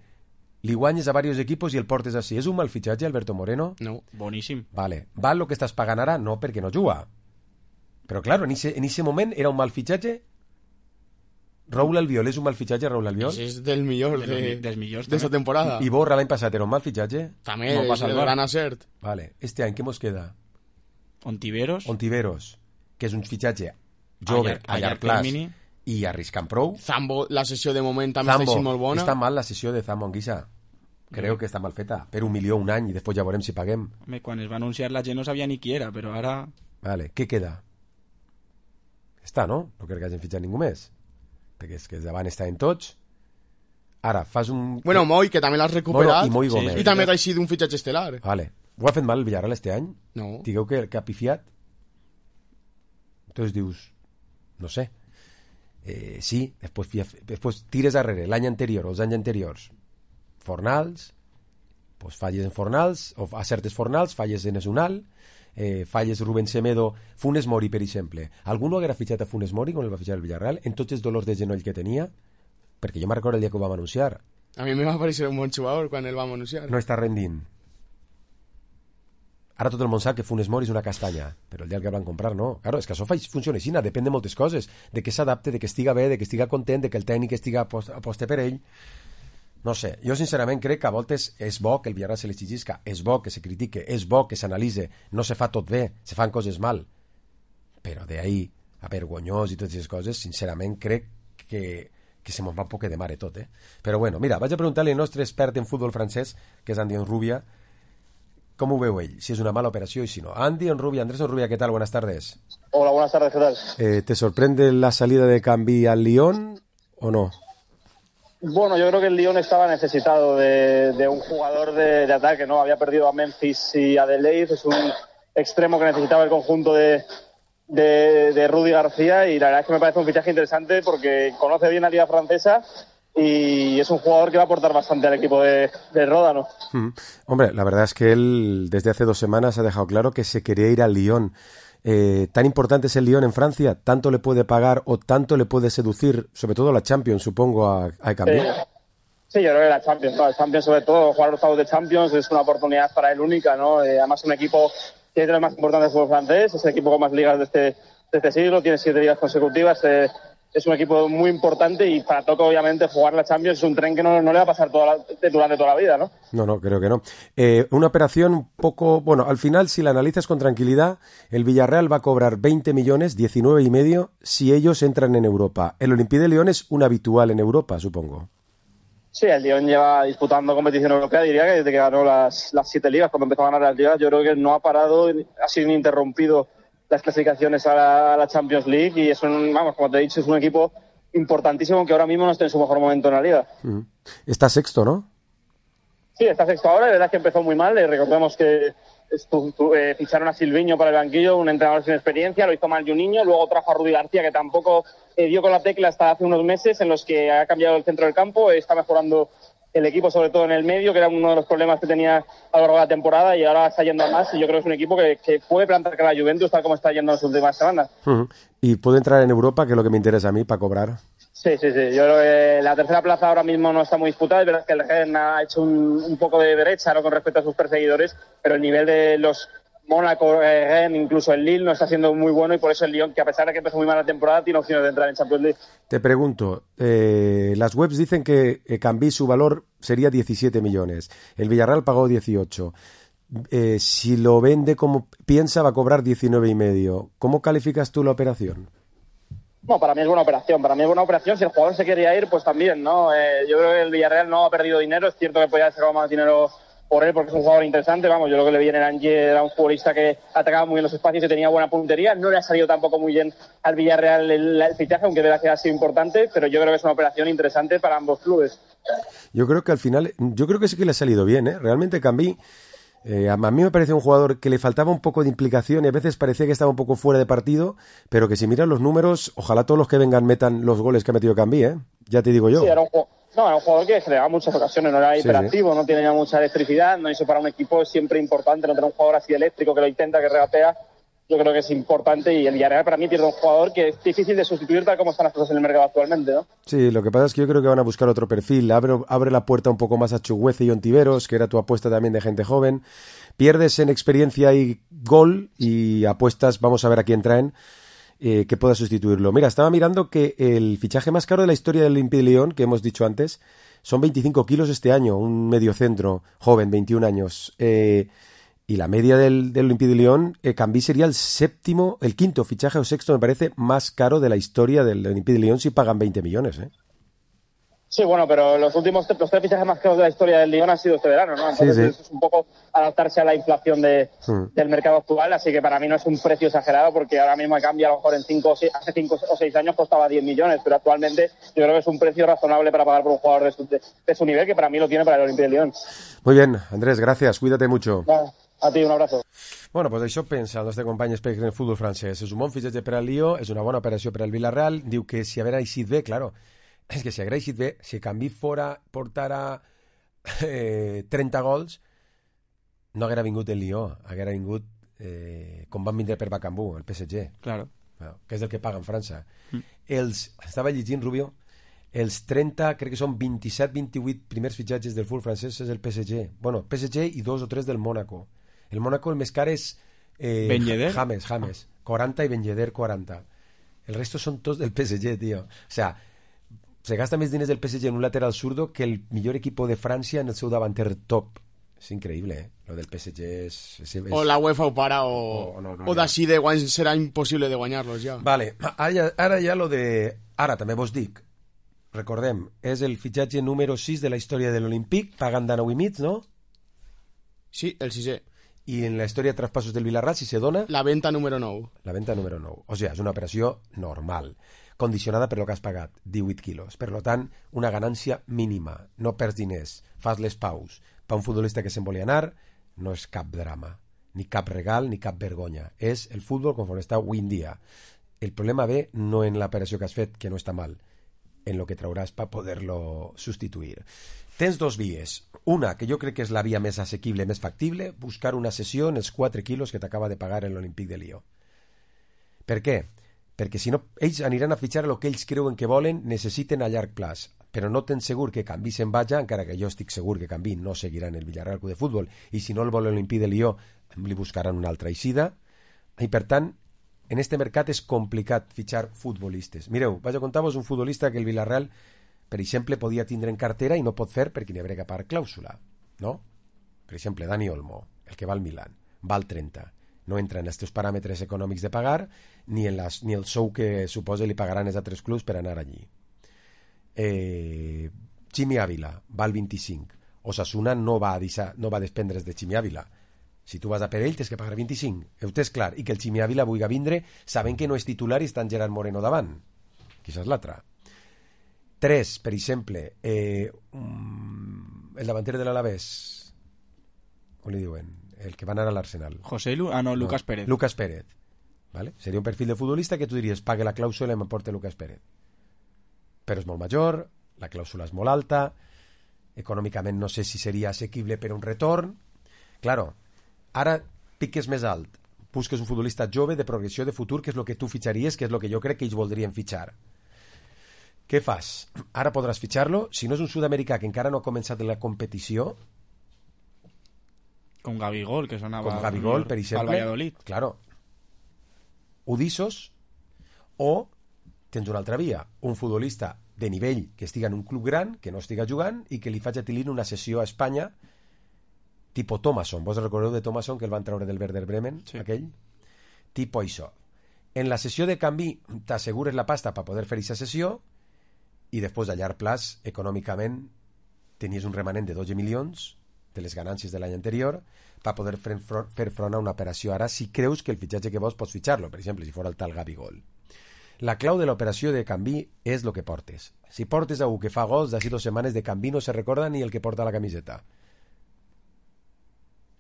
li guanyes a diversos equipos i el portes així. És un mal fitxatge, Alberto Moreno? No, boníssim. Vale. Val el que estàs pagant ara? No, perquè no juga. Però, claro, en ese moment era un mal fitxatge? Raúl Albiol és un mal fitxatge, Raúl Albiol? És del millor dels millors d'esta temporada. I Borra l'any passat era un mal fitxatge? També no és el gran acert. Vale. Este any què mos queda? Ontiveros, que és un fitxatge jove, a llarg plaç i arriscant prou. Zambo, la sessió de moment també està així molt bona. Està mal la sessió de Zambo Anguissa. Creo que està mal feta. Per 1 milió un any i després ja veurem si paguem. Home, quan es va anunciar la gent no sabia ni qui era, però ara... Vale, què queda? Està, no? No crec que hagin fitxat ningú més. Perquè és que davant estaven tots. Ara, fas un... Bueno, Moi, que també l'has recuperat. Bueno, i Moi Gómez. I també t'ha sigut un fitxatge estel·lar. Vale. Ho ha fet mal el Villarreal este any? No. Digueu que ha pifiat? Entonces dius... No sé. sí, després tires darrere l'any anterior o els anys anteriors, Fornals, pues falles en Fornals, o acertes Fornals, falles en Esunal, falles Rubén Semedo, Funes Mori, per exemple. Algú no haguera fitxat a Funes Mori quan el va fitxar el Villarreal, en tots els dolors de genoll que tenia? Perquè jo me'n recordo el dia que ho vam anunciar. A mi me va parecer un bon jugador quan el vam anunciar. No està rendint. Ara tot el món sap que Funes Mori és una castanya, però el dia que el van comprar no. Claro, és que això funciona així, depèn de moltes coses, de que s'adapte, de que estiga bé, de que estiga content, de que el tècnic estiga aposte per ell. No sé, jo sincerament crec que a voltes és bo que el Villarreal se l'exigisca, és bo que se critique, és bo que s'analitze, no se fa tot bé, se fan coses mal. Però d'ahí a vergonyós i totes aquestes coses, sincerament crec que se mos va un poc de mare tot, Però bueno, mira, vaig a preguntar-li al nostre expert en futbol francès, que és Andy Onrubia, com ho veu ell, si és una mala operació i si no. Andy Onrubia, Andrés Onrubia, ¿qué tal? Buenas tardes. Hola, buenas tardes, ¿qué tal? ¿Te sorprende la salida de Cambi al Lyon o no? Bueno, yo creo que el Lyon estaba necesitado de un jugador de ataque, ¿no? Había perdido a Memphis y a Deleuze, es un extremo que necesitaba el conjunto de Rudy García, y la verdad es que me parece un fichaje interesante porque conoce bien la liga francesa y es un jugador que va a aportar bastante al equipo de Ródano. Hombre, la verdad es que él desde hace 2 semanas ha dejado claro que se quería ir al Lyon. ¿Tan importante es el Lyon en Francia? ¿Tanto le puede pagar o tanto le puede seducir, sobre todo la Champions, supongo, a Cambi? Sí, yo creo que la Champions, ¿no? La Champions, sobre todo, jugar los octavos de Champions es una oportunidad para él única, ¿no? Además, un equipo que es de los más importantes del fútbol francés, es el equipo con más ligas de este siglo, tiene 7 ligas consecutivas, es un equipo muy importante, y para Toco, obviamente, jugar la Champions es un tren que no le va a pasar durante toda la vida, ¿no? No, creo que no. Una operación un poco... Bueno, al final, si la analizas con tranquilidad, el Villarreal va a cobrar 20 millones, 19,5, si ellos entran en Europa. El Olympique de Lyon es un habitual en Europa, supongo. Sí, el Lyon lleva disputando competición europea, diría que desde que ganó las 7 ligas, cuando empezó a ganar las ligas, yo creo que no ha parado, ha sido ininterrumpido las clasificaciones a la Champions League, y es como te he dicho, es un equipo importantísimo que ahora mismo no está en su mejor momento en la liga. Está sexto, ¿no? Sí, está sexto ahora, la verdad es que empezó muy mal, recordemos que ficharon a Silviño para el banquillo, un entrenador sin experiencia, lo hizo mal Juninho, luego trajo a Rudy García, que tampoco dio con la tecla hasta hace unos meses, en los que ha cambiado el centro del campo, está mejorando el equipo, sobre todo en el medio, que era uno de los problemas que tenía a lo largo de la temporada, y ahora está yendo a más, y yo creo que es un equipo que puede plantar cara a la Juventus tal como está yendo en las últimas semanas. Y puede entrar en Europa, que es lo que me interesa a mí, para cobrar. Sí, yo creo que la tercera plaza ahora mismo no está muy disputada, es verdad que el Rennes ha hecho un poco de brecha, ¿no?, con respecto a sus perseguidores, pero el nivel de los Mónaco, Rennes, incluso el Lille no está siendo muy bueno, y por eso el Lyon, que a pesar de que empezó muy mal la temporada, tiene opciones de entrar en Champions League. Te pregunto, las webs dicen que Cambi su valor sería 17 millones, el Villarreal pagó 18. Si lo vende como piensa, va a cobrar 19,5. ¿Cómo calificas tú la operación? No, para mí es buena operación. Si el jugador se quería ir, pues también, ¿no? Yo creo que el Villarreal no ha perdido dinero. Es cierto que podía haber sacado más dinero por él porque es un jugador interesante. Yo creo que le viene el Angers, era un futbolista que atacaba muy bien los espacios y tenía buena puntería. No le ha salido tampoco muy bien al Villarreal el fichaje, aunque de verdad que ha sido importante, pero yo creo que es una operación interesante para ambos clubes. Yo creo que al final, sí que le ha salido bien, ¿eh? Realmente Cambi, a mí me parece un jugador que le faltaba un poco de implicación y a veces parecía que estaba un poco fuera de partido, pero que si miras los números, ojalá todos los que vengan metan los goles que ha metido Cambi, ¿eh? Ya te digo yo. Sí, era un jugador que generaba muchas ocasiones, no era hiperactivo, no tenía mucha electricidad, no, eso para un equipo es siempre importante, no tener un jugador así eléctrico que lo intenta, que regatea. Yo creo que es importante, y el Villarreal para mí pierde un jugador que es difícil de sustituir tal como están las cosas en el mercado actualmente, ¿no? Sí, lo que pasa es que yo creo que van a buscar otro perfil. Abre la puerta un poco más a Chuguece y Ontiveros, que era tu apuesta también de gente joven. Pierdes en experiencia y gol, y apuestas, vamos a ver a quién traen, que pueda sustituirlo. Mira, estaba mirando que el fichaje más caro de la historia del Olympique de Lyon, que hemos dicho antes, son 25 kilos este año, un mediocentro joven, 21 años. Y la media del Olympique de Lyon, Cambi sería el quinto fichaje o sexto, me parece, más caro de la historia del Olympique de Lyon, si pagan 20 millones, ¿eh? Sí, bueno, pero los 3 fichajes más caros de la historia del Lyon han sido este verano, ¿no? Entonces sí. Es un poco adaptarse a la inflación del mercado actual, así que para mí no es un precio exagerado, porque ahora mismo cambia, a lo mejor hace 5 o 6 años costaba 10 millones, pero actualmente yo creo que es un precio razonable para pagar por un jugador de su nivel, que para mí lo tiene para el Olympique de Lyon. Muy bien, Andrés, gracias, cuídate mucho. A ti, un abrazo. Bueno, doncs això pensa el nostre company expert en el futbol francès. És un bon fitxatge per al Lió, és una bona operació per al Villarreal. Diu que si haguera eixit bé, claro, és que si haguera eixit bé, si Cambí portara 30 gols, no haguera vingut el Lió, haguera vingut com van vindre per Bacambú, el PSG. Claro. Que és el que paga en França. Estava llegint, Rubio, els 30, crec que són 27-28 primers fitxatges del futbol francès és el PSG. Bueno, PSG i 2 o 3 del Mónaco. El Mónaco el més car és Ben Yedder. James, 40 i Ben Yedder 40. El resto són tots del PSG, tío. O sea, se gasta més diners del PSG en un lateral zurdo que el millor equipo de Francia en el seu davanter top. És increïble, eh? Lo del PSG és... O la UEFA ho para o d'ací de guany serà impossible de guanyar-los ja. Vale, ara ja lo de... Ara també vos dic, recordem, és el fitxatge número 6 de la història de l'Olímpic, pagant de 9,5, no? Sí, el 6è. I en la història de traspassos del Villarreal, si se dona... La venta número 9. La venta número 9. O sigui, és una operació normal, condicionada per lo que has pagat, 18 quilos. Per tant, una ganància mínima. No perds diners, fas les paus. Per un futbolista que se'n volia anar, no és cap drama, ni cap regal, ni cap vergonya. És el futbol conforme està avui en dia. El problema ve no en l'operació que has fet, que no està mal, en lo que trauràs per poder-lo substituir. Tens dos vies. Una, que jo crec que és la via més assequible, més factible, buscar una sessió en els 4 quilos que t'acaba de pagar en l'Olímpic de Lió. Per què? Perquè si no, ells aniran a fitxar el que ells creuen que volen, necessiten a llarg plaç, però no tens segur que Cambí se'n vaja, encara que jo estic segur que Cambí no seguirà en el Villarreal Club de Futbol, i si no el vol l'Olímpic de Lió, li buscaran una altra eixida, i per tant, en este mercat és complicat fitxar futbolistes. Mireu, vaig a contar-vos un futbolista que el Villarreal, per exemple, podia tindre en cartera i no pot fer perquè n'hi haurà que pagar clàusula, no? Per exemple, Dani Olmo, el que va al Milan, val 30. No entra en els teus paràmetres econòmics de pagar ni el sou que suposa li pagaran els altres clubs per anar allí. Chimi Ávila val 25. Osasuna no va despendre's de Chimi Ávila. Si tu vas a per ell tens que pagar 25. Ho tens clar. I que el Chimi Ávila vulgui vindre sabent que no és titular i està en Gerard Moreno davant. Quizás l'altra. 3, per exemple, el davanter de l'Alavés, com li diuen? El que va anar a l'Arsenal. Lucas Pérez. Lucas Pérez. ¿Vale? Seria un perfil de futbolista que tu diries pague la clàusula i m'emporte Lucas Pérez. Però és molt major, la clàusula és molt alta, econòmicament no sé si seria assequible per un retorn. Claro, ara piques més alt, busques un futbolista jove de progressió de futur, que és el que tu fitxaries, que és el que jo crec que ells voldrien fitxar. Què fas? Ara podràs fitxar-lo, si no és un sud-americà que encara no ha començat la competició, com Gabigol, que sonava com Gabigol, per exemple, al Valladolid. Claro. Udissos, o tens una altra via, un futbolista de nivell que estiga en un club gran, que no estiga jugant i que li faci a Tilín una sessió a Espanya tipo Thomasson. Vos recordeu de Thomasson que el van treure del Werder Bremen, sí. Aquell? Tipo això. En la sessió de canvi t'assegures la pasta per poder fer aquesta sessió i després a llarg plaç, econòmicament, tenies un remanent de 12 milions de les ganàncies de l'any anterior per poder fer front a una operació ara si creus que el fitxatge que vols pots fitxar-lo, per exemple, si fos el tal Gabigol. La clau de l'operació de canvi és el que portes. Si portes algú que fa gols d'ací 2 setmanes de canvi no se recorda ni el que porta la camiseta.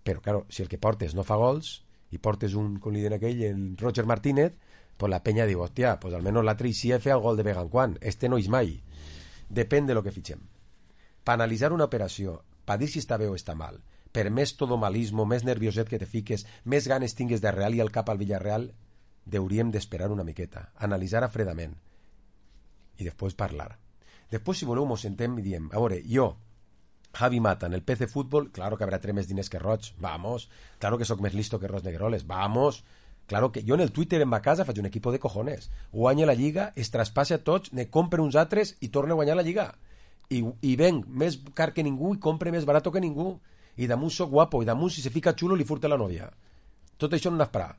Però, claro, si el que portes no fa gols i portes un, com li diuen aquell, en Roger Martínez, pues la penya diu, hòstia, pues almenys l'altre hi ha fet el gol de vegant quan. Este no és mai. Depèn de lo que fitxem. Per analitzar una operació, per dir si està bé o està mal, per més todomalismo, més nervioset que te fiques, més ganes tingues de real i al cap al Villarreal, hauríem d'esperar una miqueta, analitzar fredament i després parlar. Després, si voleu, mos sentem i diem, a veure, jo, Javi Mata, en el PC Fútbol, claro que habrá 3 més diners que Roig, vamos, claro que soc més listo que Ros Negroles, vamos, claro que jo en el Twitter en ma casa faig un equipo de cojones, guanya la Lliga, es traspassa a tots, ne compre uns altres i torna a guanyar la Lliga, i venc més car que ningú i compre més barato que ningú, i damunt soc guapo, i damunt si se fica xulo li furta la nòvia. Tot això no n'esperà.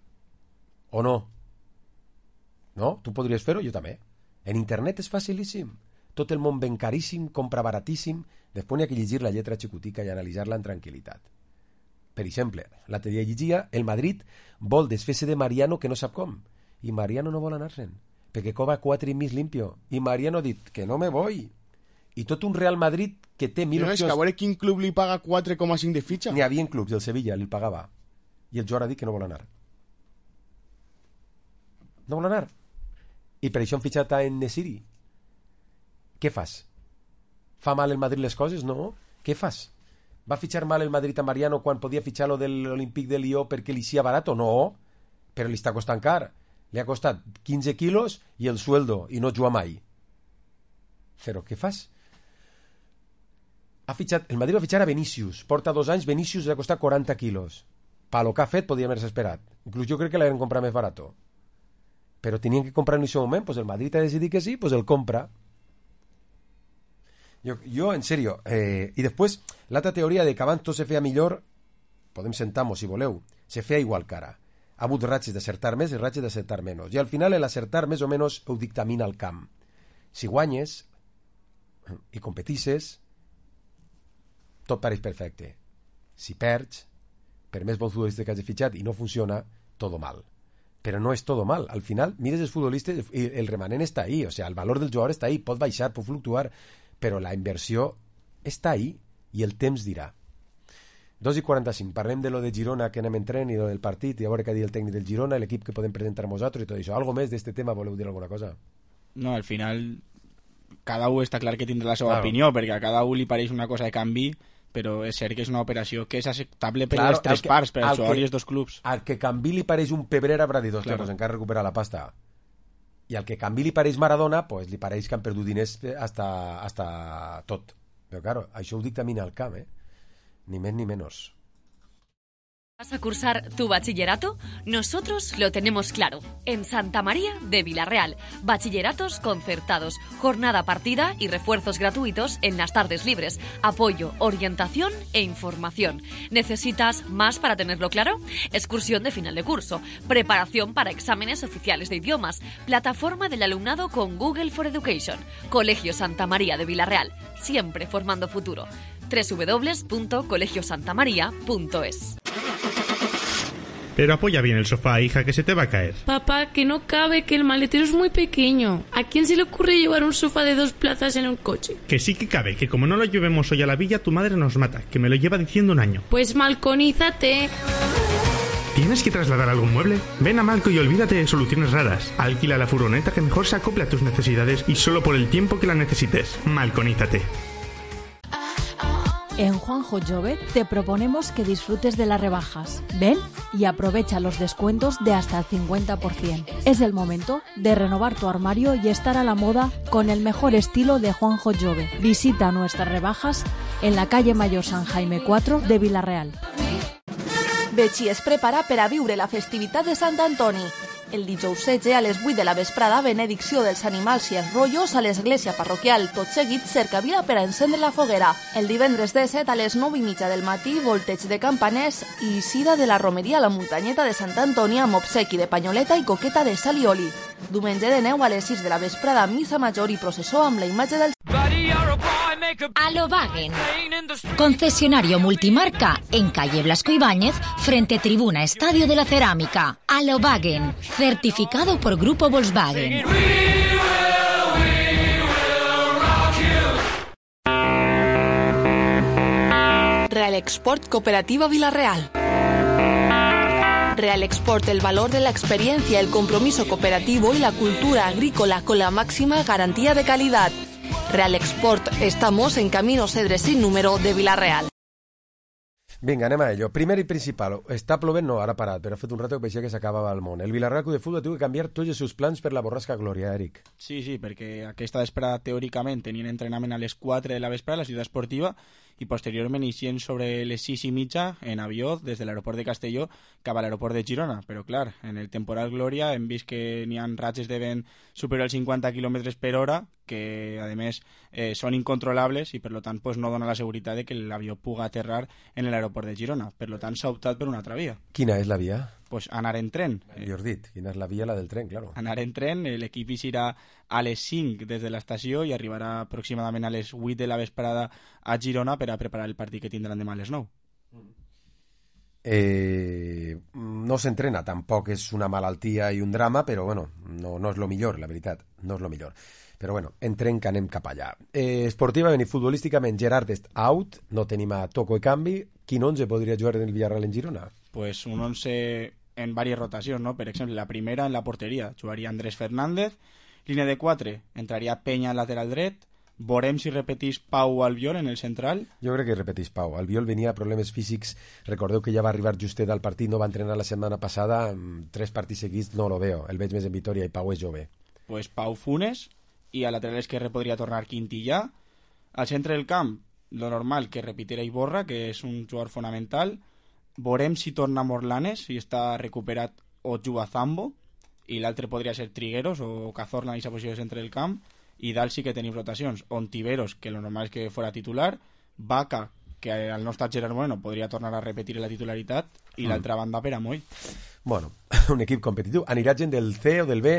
O no? No? Tu podries fer-ho? Jo també. En internet és facilíssim. Tot el món ven caríssim, compra baratíssim, després n'hi ha que llegir la lletra xicotica i analitzar-la en tranquil·litat. Per exemple, l'altre dia llegia, el Madrid vol desfer-se de Mariano que no sap com, i Mariano no vol anar-se'n, perquè cobra 4 i mig limpio, i Mariano ha dit que no me voy. I tot un Real Madrid que té 1.000 opcions. És que a veure quin club li paga 4,5 de fitxa. N'hi havia clubs, el Sevilla li pagava. i el jugador ha dit que no vol anar. No vol anar. I per això han fitxat a En-Nesyri. Què fas? Fa mal el Madrid les coses? No. Què fas? Va fitxar mal el Madrid a Mariano quan podia fitxar lo de l'Olímpic de Lió perquè li sia barato? No. Però li està costant car. Li ha costat 15 quilos i el sueldo, i no juga mai. Però què fas? El Madrid va fitxar a Vinícius. Porta 2 anys, Vinícius li ha costat 40 quilos. Pa lo que ha fet, podia haver-se esperat. Inclús jo crec que l'han comprat més barato. Però tenien que comprar en aquest moment, pues el Madrid ha decidit que sí, pues el compra. Jo en serio. I després, l'altra teoria de que abans tot se feia millor, podem sentar-nos, si voleu, se feia igual que ara. Ha hagut ratxes d'acertar més i ratxes d'acertar menys. I al final l'acertar més o menys ho dictamina el camp. Si guanyes i competisses, tot pareix perfecte. Si perds, per més bons futbolistes que hagi fitxat i no funciona, todo mal. Però no és todo mal. Al final, mires els futbolistes i el remanent està ahí. O sea, el valor del jugador està ahí. Pot baixar, pot fluctuar, però la inversió està ahí i el temps dirà. 2:45. Parlem de lo de Girona que anem entrant i lo del partit i a veure què ha dit el tècnic del Girona, l'equip que podem presentar nosaltres i tot això. Algo més d'este tema? Voleu dir alguna cosa? No, al final cada un està clar que tindrà la seva opinió, perquè a cada un li pareix una cosa de canvi, però és cert que és una operació que és acceptable per les tres parts, per el jugador i els dos clubs. Al que canvi li pareix un Pebrera haurà dit, hòstia, pues encara recuperar la pasta. I al que canvi li pareix Maradona, pues li pareix que han perdut diners hasta tot. Però claro, això ho dictamina el camp, ni més ni menos. ¿Vas a cursar tu bachillerato? Nosotros lo tenemos claro. En Santa María de Villarreal. Bachilleratos concertados, jornada partida y refuerzos gratuitos en las tardes libres. Apoyo, orientación e información. ¿Necesitas más para tenerlo claro? Excursión de final de curso. Preparación para exámenes oficiales de idiomas. Plataforma del alumnado con Google for Education. Colegio Santa María de Villarreal. Siempre formando futuro. www.colegiosantamaria.es. Pero apoya bien el sofá, hija, que se te va a caer. Papá, que no cabe, que el maletero es muy pequeño. ¿A quién se le ocurre llevar un sofá de 2 plazas en un coche? Que sí que cabe, que como no lo llevemos hoy a la villa, tu madre nos mata, que me lo lleva diciendo 1 año. Pues malconízate. ¿Tienes que trasladar algún mueble? Ven a Malco y olvídate de soluciones raras. Alquila la furgoneta que mejor se acople a tus necesidades y solo por el tiempo que la necesites. Malconízate. En Juanjo Jove te proponemos que disfrutes de las rebajas. Ven y aprovecha los descuentos de hasta el 50%. Es el momento de renovar tu armario y estar a la moda con el mejor estilo de Juanjo Jove. Visita nuestras rebajas en la calle Mayor San Jaime 4 de Villarreal. Betxí es prepara per a viure la festivitat de Sant Antoni. El dijous 16 a les 8 de la vesprada, benedicció dels animals i els rotllos a l'església parroquial. Tot seguit, cercavila per a encendre la foguera. El divendres 17 a les 9:30 del matí, volteig de campaners i eixida de la romeria a la muntanyeta de Sant Antoni amb obsequi de panyoleta i coqueta de sal i oli. Diumenge de 9 a les 6 de la vesprada, missa major i processó amb la imatge del... Alobagen, concesionario multimarca en calle Blasco Ibáñez, frente Tribuna Estadio de la Cerámica. Alobagen, certificado por Grupo Volkswagen. Real Export Cooperativa Villarreal. Real Export, el valor de la experiencia, el compromiso cooperativo y la cultura agrícola con la máxima garantía de calidad. Real Export, estamos en Camino Cedres sin número de Villarreal. Vinga, anem a ello. Primer i principal, està plovent? No, ara ha parat, però ha fet un rato que paeixia que s'acabava el món. El Villarreal Club de Futbol ha tingut que canviar tots els seus plans per la borrasca Glòria, Eric. Sí, perquè aquesta vesprada, teòricament, tenien entrenament a les 4 de la vesprada a la ciutat esportiva i posteriorment eixien sobre les 6:30 en avió des de l'aeroport de Castelló cap a l'aeroport de Girona. Però, clar, en el temporal Glòria hem vist que n'hi ha ratxes de vent superior als 50 km per hora que, a més, són incontrolables i, per tant, pues, no dona la seguretat de que l'avió pugui aterrar en l'aeroport de Girona. Per tant, s'ha optat per una altra via. Quina és la via? Pues anar en tren. Millor dit, quina és la via? La del tren, claro. Anar en tren, l'equip eixirà a les 5 des de l'estació i arribarà aproximadament a les 8 de la vesprada a Girona per a preparar el partit que tindran demà a les 9. No s'entrena, tampoc és una malaltia i un drama, però bueno, no és lo millor, la veritat, no és lo millor. Però bueno, entrem que anem cap allà. Esportivament i futbolísticament, Gerard és out, no tenim a Toco i canvi. Quin 11 podria jugar en el Villarreal en Girona? pues un 11 en varias rotacions, no? Per exemple, la primera en la porteria jugaria Andrés Fernández, línia de 4 entraria Peña al lateral dret, veurem si repetís Pau Albiol en el central. Jo crec que repetís Pau. Albiol venia a problemes físics, recordeu que ja va arribar justet al partit, no va entrenar la setmana passada, 3 partits seguits no lo veo, el veig més en Vitoria i Pau és jove. Pues Pau Funes, i al lateral esquerre podria tornar Quintillà. Al centre del camp, lo normal que repitiera Iborra, que és un jugador fonamental. Veurem si torna Morlanes, si està recuperat o juga Zambo, i l'altre podria ser Trigueros o Cazorla en aquesta posició de centre del camp. I dalt sí que tenim rotacions. Ontiveros, que lo normal és que fora titular, Vaca, que al no estar Gerard Moreno podria tornar a repetir la titularitat, i l'altra banda per Amoy. Bueno, un equip competitiu. Anirà gent del C o del B.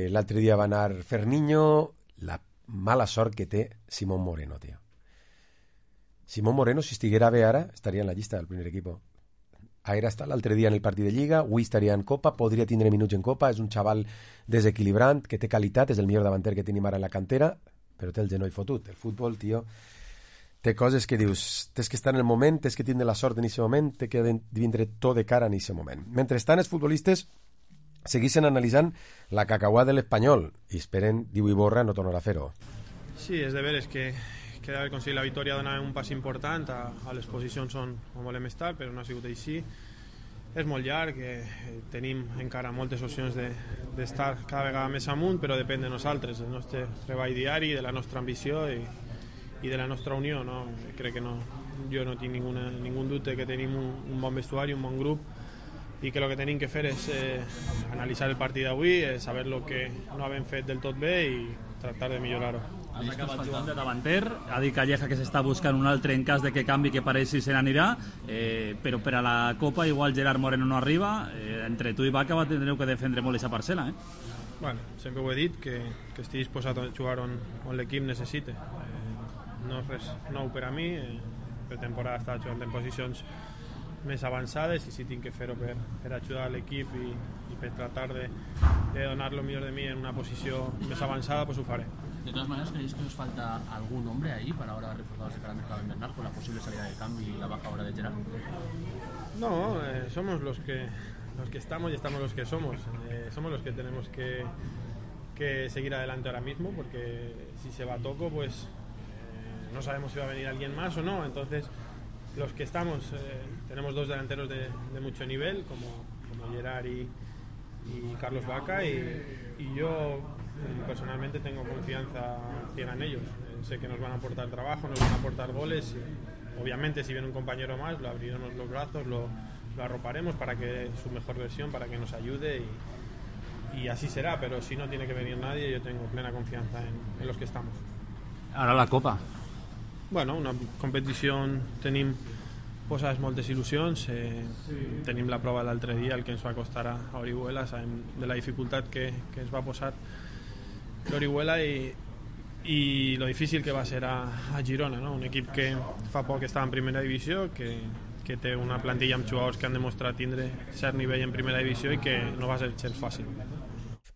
L'altre dia va anar Ferniño. La mala sort que té Simón Moreno, tio. Simón Moreno, si estiguera bé ara, estaria en la llista del primer equip. Era estar l'altre dia en el partit de Lliga, avui estaria en Copa, podria tindre minuts en Copa, és un xaval desequilibrant, que té qualitat, és el millor davanter que tenim ara en la cantera, però té el genoll fotut. El futbol, tio, té coses que dius, tens que estar en el moment, tens que tindre la sort en aquest moment, té que vindre tot de cara en aquest moment. Mentrestant, els futbolistes segueixen analitzant la cacauà de l'Espanyol i esperen, diu Iborra, no tornar a fer-ho. Sí, és de veres que d'haver aconseguit la victòria dona un pas important a les posicions on volem estar, però no ha sigut així. És molt llarg, tenim encara moltes opcions d'estar cada vegada més amunt, però depèn de nosaltres, del nostre treball diari, de la nostra ambició i de la nostra unió. No? Crec que jo no tinc ningú dubte que tenim un bon vestuari, un bon grup, i que el que tenim que fer és analitzar el partit d'avui, saber el que no hem fet del tot bé i tractar de millorar-ho. Has acabat jugant de davanter, ha dit Calleja que s'està buscant un altre en cas de que canvi, que pareix si se n'anirà, però per a la Copa igual Gerard Moreno no arriba, entre tu i Vaca tindreu que defendre molt aquesta parcel·la. Bueno, sempre ho he dit, que estic disposat a jugar on l'equip necessite. No és res nou per a mi, per temporada he estat jugant en posicions més avançades i si tinc que fer-ho per ajudar l'equip i per tratar de donar lo millor de mi en una posició més avançada, pues ho faré. De todas maneras, ¿creéis que os falta algún hombre ahí para ahora reforzados de cara al mercado invernal con la posible salida de cambio y la baja ahora de Gerard? No, somos los que estamos y estamos los que somos. Somos los que tenemos que seguir adelante ahora mismo, porque si se va Toco, pues no sabemos si va a venir alguien más o no. Entonces, los que estamos, tenemos 2 delanteros de mucho nivel, como Gerard y Carlos Vaca, y yo personalmente tengo confianza ciega en ellos. Sé que nos van a aportar trabajo, nos van a aportar goles. Obviamente, si viene un compañero más, lo abriremos los brazos, lo arroparemos para que dé su mejor versión, para que nos ayude y así será. Pero si no tiene que venir nadie, yo tengo plena confianza en los que estamos. Ahora la Copa. Bueno, una competició tenim posades moltes il·lusions, tenim la prova l'altre dia, el que ens va costar a Orihuela, sabem de la dificultat que ens va posar l'Orihuela i lo difícil que va ser a Girona, no? Un equip que fa poc estava en primera divisió, que té una plantilla amb jugadors que han demostrat tindre cert nivell en primera divisió i que no va ser gens fàcil.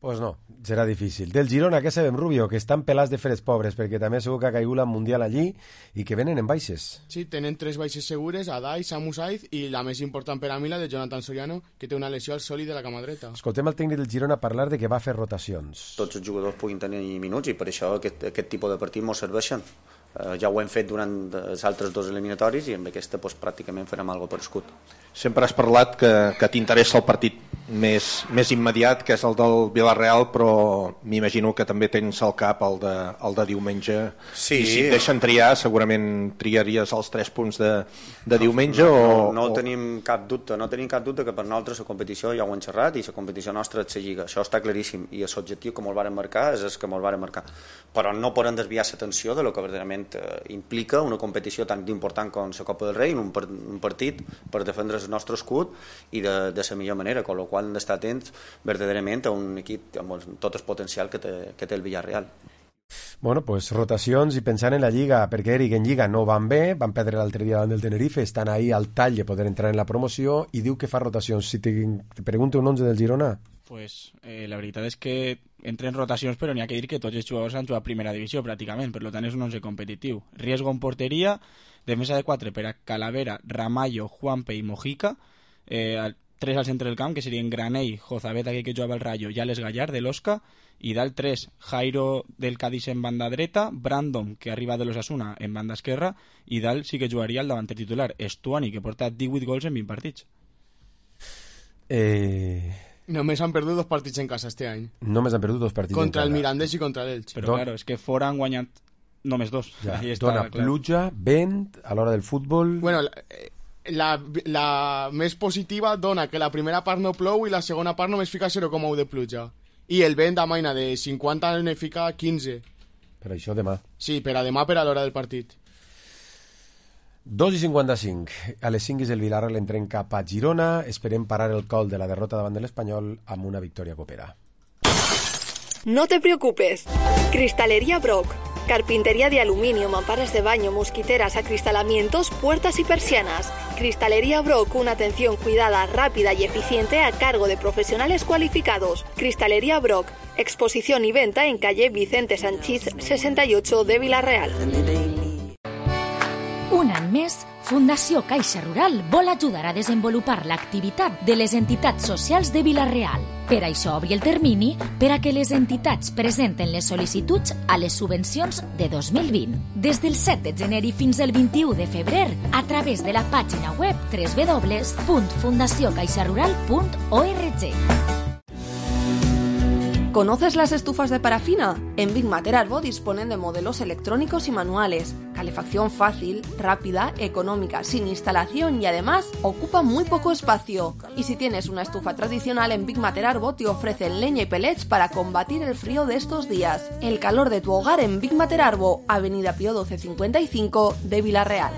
Pues no, serà difícil. Del Girona, què sabem, Rubio? Que estan pelats de feres pobres, perquè també segur que ha caigut la Mundial allí i que venen en baixes. Sí, tenen 3 baixes segures, Adai, Samu Saiz i la més important per a mi, la de Jonathan Soriano, que té una lesió al sòlid de la cama dreta. Escoltem el tècnic del Girona parlar de que va fer rotacions. Tots els jugadors puguin tenir minuts i per això aquest tipus de partits ens serveixen. Ja ho hem fet durant els altres 2 eliminatoris i amb aquesta pràcticament farem alguna cosa per escut. Sempre has parlat que t'interessa el partit més immediat, que és el del Villarreal, però m'imagino que també tens al cap el de diumenge. Sí. I si et deixen triar, segurament triaries els 3 punts de diumenge? No tenim cap dubte, que per nosaltres la competició ja ho hem xerrat i la competició nostra és la Lliga, això està claríssim, i l'objectiu que ens varen marcar és el que ens varen marcar, però no podem desviar l'atenció de lo que verdaderament implica una competició tan important com la Copa del Rei, un partit per defendre el nostre escut i de la millor manera, amb la qual hem d'estar atents verdaderament a un equip amb tot el potencial que té el Villarreal. Bueno, pues rotacions i pensant en la Lliga, perquè Eric, en Lliga no van bé, van perdre l'altre dia davant del Tenerife, estan ahí al tall de poder entrar en la promoció i diu que fa rotacions. Si te pregunto un 11 del Girona... Pues la veritat és que entren rotacions, però n'hi ha que dir que tots els jugadors han jugat a primera divisió pràcticament, per tant és un 11 competitiu. Riesgo en porteria, defensa de 4 per a Calavera, Ramallo, Juanpe i Mojica, 3 al centre del camp, que serien Granell, Jozabet, aquell que jugava al Rayo, i Alex Gallar, de l'Osca, i dalt 3, Jairo del Cádiz en banda dreta, Brandon, que arriba de l'Osasuna, en banda esquerra, i dalt sí que jugaria el davanter titular, Estuani, que porta 18 gols en 20 partits. Només han perdut 2 partits en casa este any. Només han perdut 2 partits contra en casa. El Mirandés i contra l'Elx. Però claro, és que fora han guanyat només 2. Ja. Dona pluja, vent, a l'hora del futbol... Bueno, la més positiva dona que la primera part no plou i la segona part només fica 0,1 de pluja. I el vent amaina de 50 ne fica 15. Per això demà. Sí, per a demà, per a l'hora del partit. 2:55. A les 5 el Villarreal entrem cap a Girona. Esperem parar el col de la derrota davant de l'Espanyol amb una victòria copera. No te preocupes. Cristalería Brock. Carpintería de aluminio, mamparas de baño, mosquiteras, acristalamientos, puertas y persianas. Cristalería Brock, una atención cuidada, rápida y eficiente a cargo de profesionales cualificados. Cristalería Brock, exposición y venta en calle Vicente Sanchís 68 de Vila-real. Un any més, Fundació Caixa Rural vol ajudar a desenvolupar l'activitat de les entitats socials de Vila-real. Per això obri el termini per a que les entitats presenten les sol·licituds a les subvencions de 2020. Des del 7 de gener i fins al 21 de febrer, a través de la pàgina web www.fundaciocaixarural.org. ¿Conoces las estufas de parafina? En Big Mater Arbo disponen de modelos electrónicos y manuales, calefacción fácil, rápida, económica, sin instalación y además ocupa muy poco espacio. Y si tienes una estufa tradicional, en Big Mater Arbo te ofrecen leña y pellets para combatir el frío de estos días. El calor de tu hogar en Big Mater Arbo, Avenida Pío 1255 de Vila-real.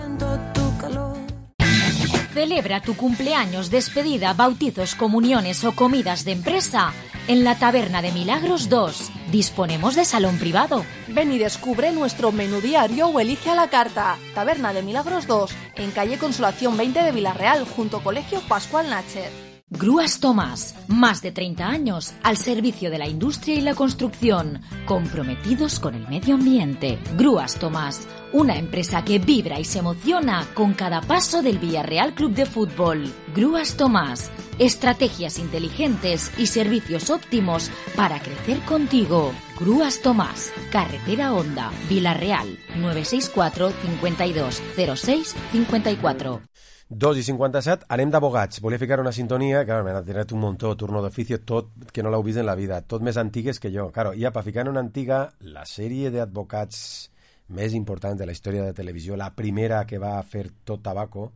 Celebra tu cumpleaños, despedida, bautizos, comuniones o comidas de empresa en la Taberna de Milagros 2. Disponemos de salón privado. Ven y descubre nuestro menú diario o elige a la carta. Taberna de Milagros 2, en calle Consolación 20 de Vila-real, junto Colegio Pascual Nacher. Grúas Tomás, más de 30 años al servicio de la industria y la construcción, comprometidos con el medio ambiente. Grúas Tomás, una empresa que vibra y se emociona con cada paso del Villarreal Club de Fútbol. Grúas Tomás, estrategias inteligentes y servicios óptimos para crecer contigo. Grúas Tomás, Carretera Honda, Vila-real, 964 52 06 54. 2:57, anem d'abogats. Volia ficar una sintonia, claro, m'ha tirat un muntó, turno d'oficio, tot que no l'heu vist en la vida, tot més antigues que jo. Claro, ja per ficar en una antiga, la sèrie d'advocats més important de la història de televisió, la primera que va fer tot tabaco,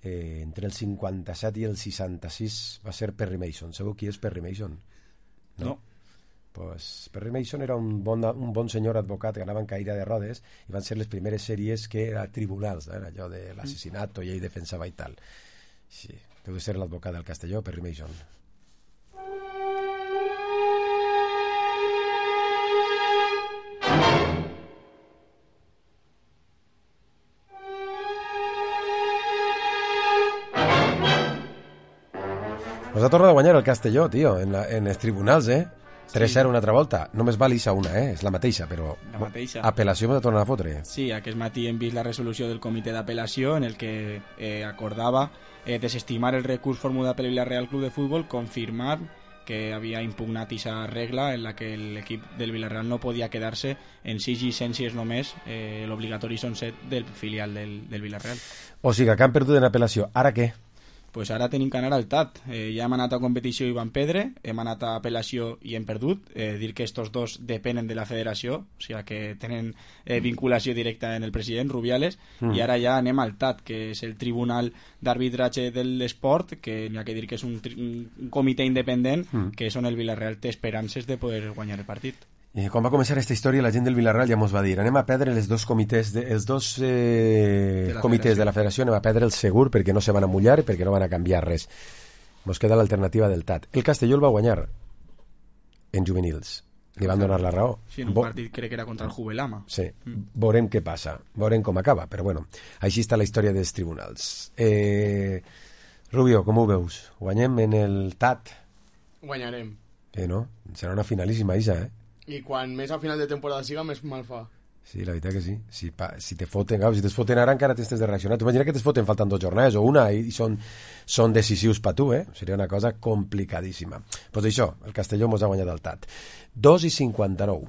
entre el 57 i el 66, va ser Perry Mason. Sabeu qui és Perry Mason? No. Pues Perry Mason era un bon senyor advocat que anava en caire de rodes i van ser les primeres sèries que era tribunals, era allò de l'assassinat i ell defensava i tal. Sí, deu ser l'advocat del Castelló, Perry Mason. Pues ha tornat a guanyar el Castelló, tio, en els tribunals, 3-0 una altra volta. Només val ISA una, és la mateixa, però la mateixa. Apel·lació m'ha tornat a fotre. Sí, aquest matí hem vist la resolució del comitè d'apel·lació en el que acordava desestimar el recurs formulat pel Villarreal Club de Fútbol, confirmar que havia impugnat aquesta regla en la que l'equip del Villarreal no podia quedar-se en 6 llicències només, l'obligatori són 7 del filial del Villarreal. O sigui, que han perdut en apel·lació. Ara què? Pues ara tenim que anar al TAT. Ja hem anat a competició i van perdre, hem anat a apel·lació i hem perdut. Dir que estos dos depenen de la federació, o sigui que tenen vinculació directa en el president, Rubiales, i ara ja anem al TAT, que és el Tribunal d'Arbitratge de l'Esport, que n'hi ha que dir que és un comitè independent, que són el Villarreal té esperances de poder guanyar el partit. I quan va començar aquesta història, la gent del Villarreal ja mos va dir anem a perdre els dos comitès de la federació, anem a perdre el segur perquè no se van a mullar, perquè no van a canviar res. Mos queda l'alternativa del TAT. El Castelló el va guanyar en juvenils. Li van donar la raó. Sí, en un partit crec que era contra el Juvelama. Sí, veurem què passa, veurem com acaba, però bueno, així està la història dels tribunals. Rubio, com ho veus? Guanyem en el TAT? Guanyarem. No? Serà una finalíssima, Isa, I quan més a final de temporada siga, més mal fa. Sí, la veritat que sí. Si te foten, si te foten ara encara tens de reaccionar. Tu imagina que te foten faltant 2 jornades o una i són decisius per tu, Seria una cosa complicadíssima. Pues això, el Castelló mos ha guanyat el TAT. 2:59.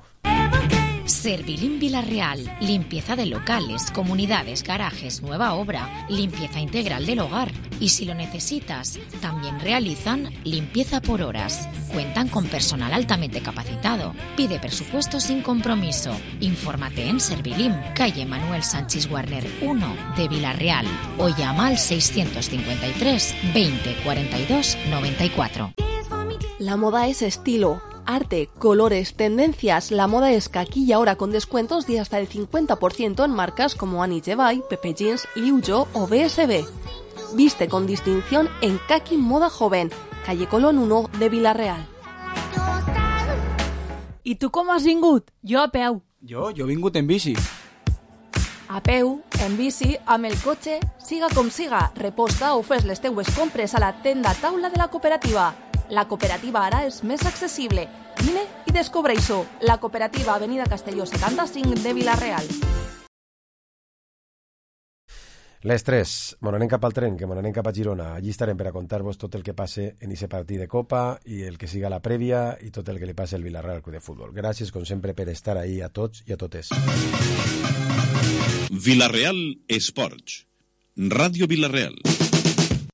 Servilín Villarreal, limpieza de locales, comunidades, garajes, nueva obra, limpieza integral del hogar. Y si lo necesitas, también realizan limpieza por horas. Cuentan con personal altamente capacitado. Pide presupuesto sin compromiso. Infórmate en Servilín, calle Manuel Sánchez Warner 1 de Villarreal o llama al 653 20 42 94. La moda es estilo, arte, colores, tendencias. La moda es aquí y ahora con descuentos de hasta el 50% en marcas como Annie Jevay, Pepe Jeans, Liu Jo o BSB. Viste con distinción en Kaki Moda Joven, calle Colón 1 de Villarreal. I tu com has vingut? Jo a peu. Jo he vingut en bici. A peu, en bici, amb el cotxe, siga com siga, reposta o fes les teues compres a la tenda taula de la cooperativa. La cooperativa ara és més accessible. Vine i descobreix-ho. La cooperativa Avenida Castelló 75 de Villarreal. Les 3, anem cap al tren, que anem cap a Girona. Allí estarem per a contar-vos tot el que passe en aquest partit de Copa i el que siga la prèvia i tot el que li passe al Villarreal Club de Futbol. Gràcies, com sempre, per estar ahí a tots i a totes. Villarreal Esports. Ràdio Villarreal.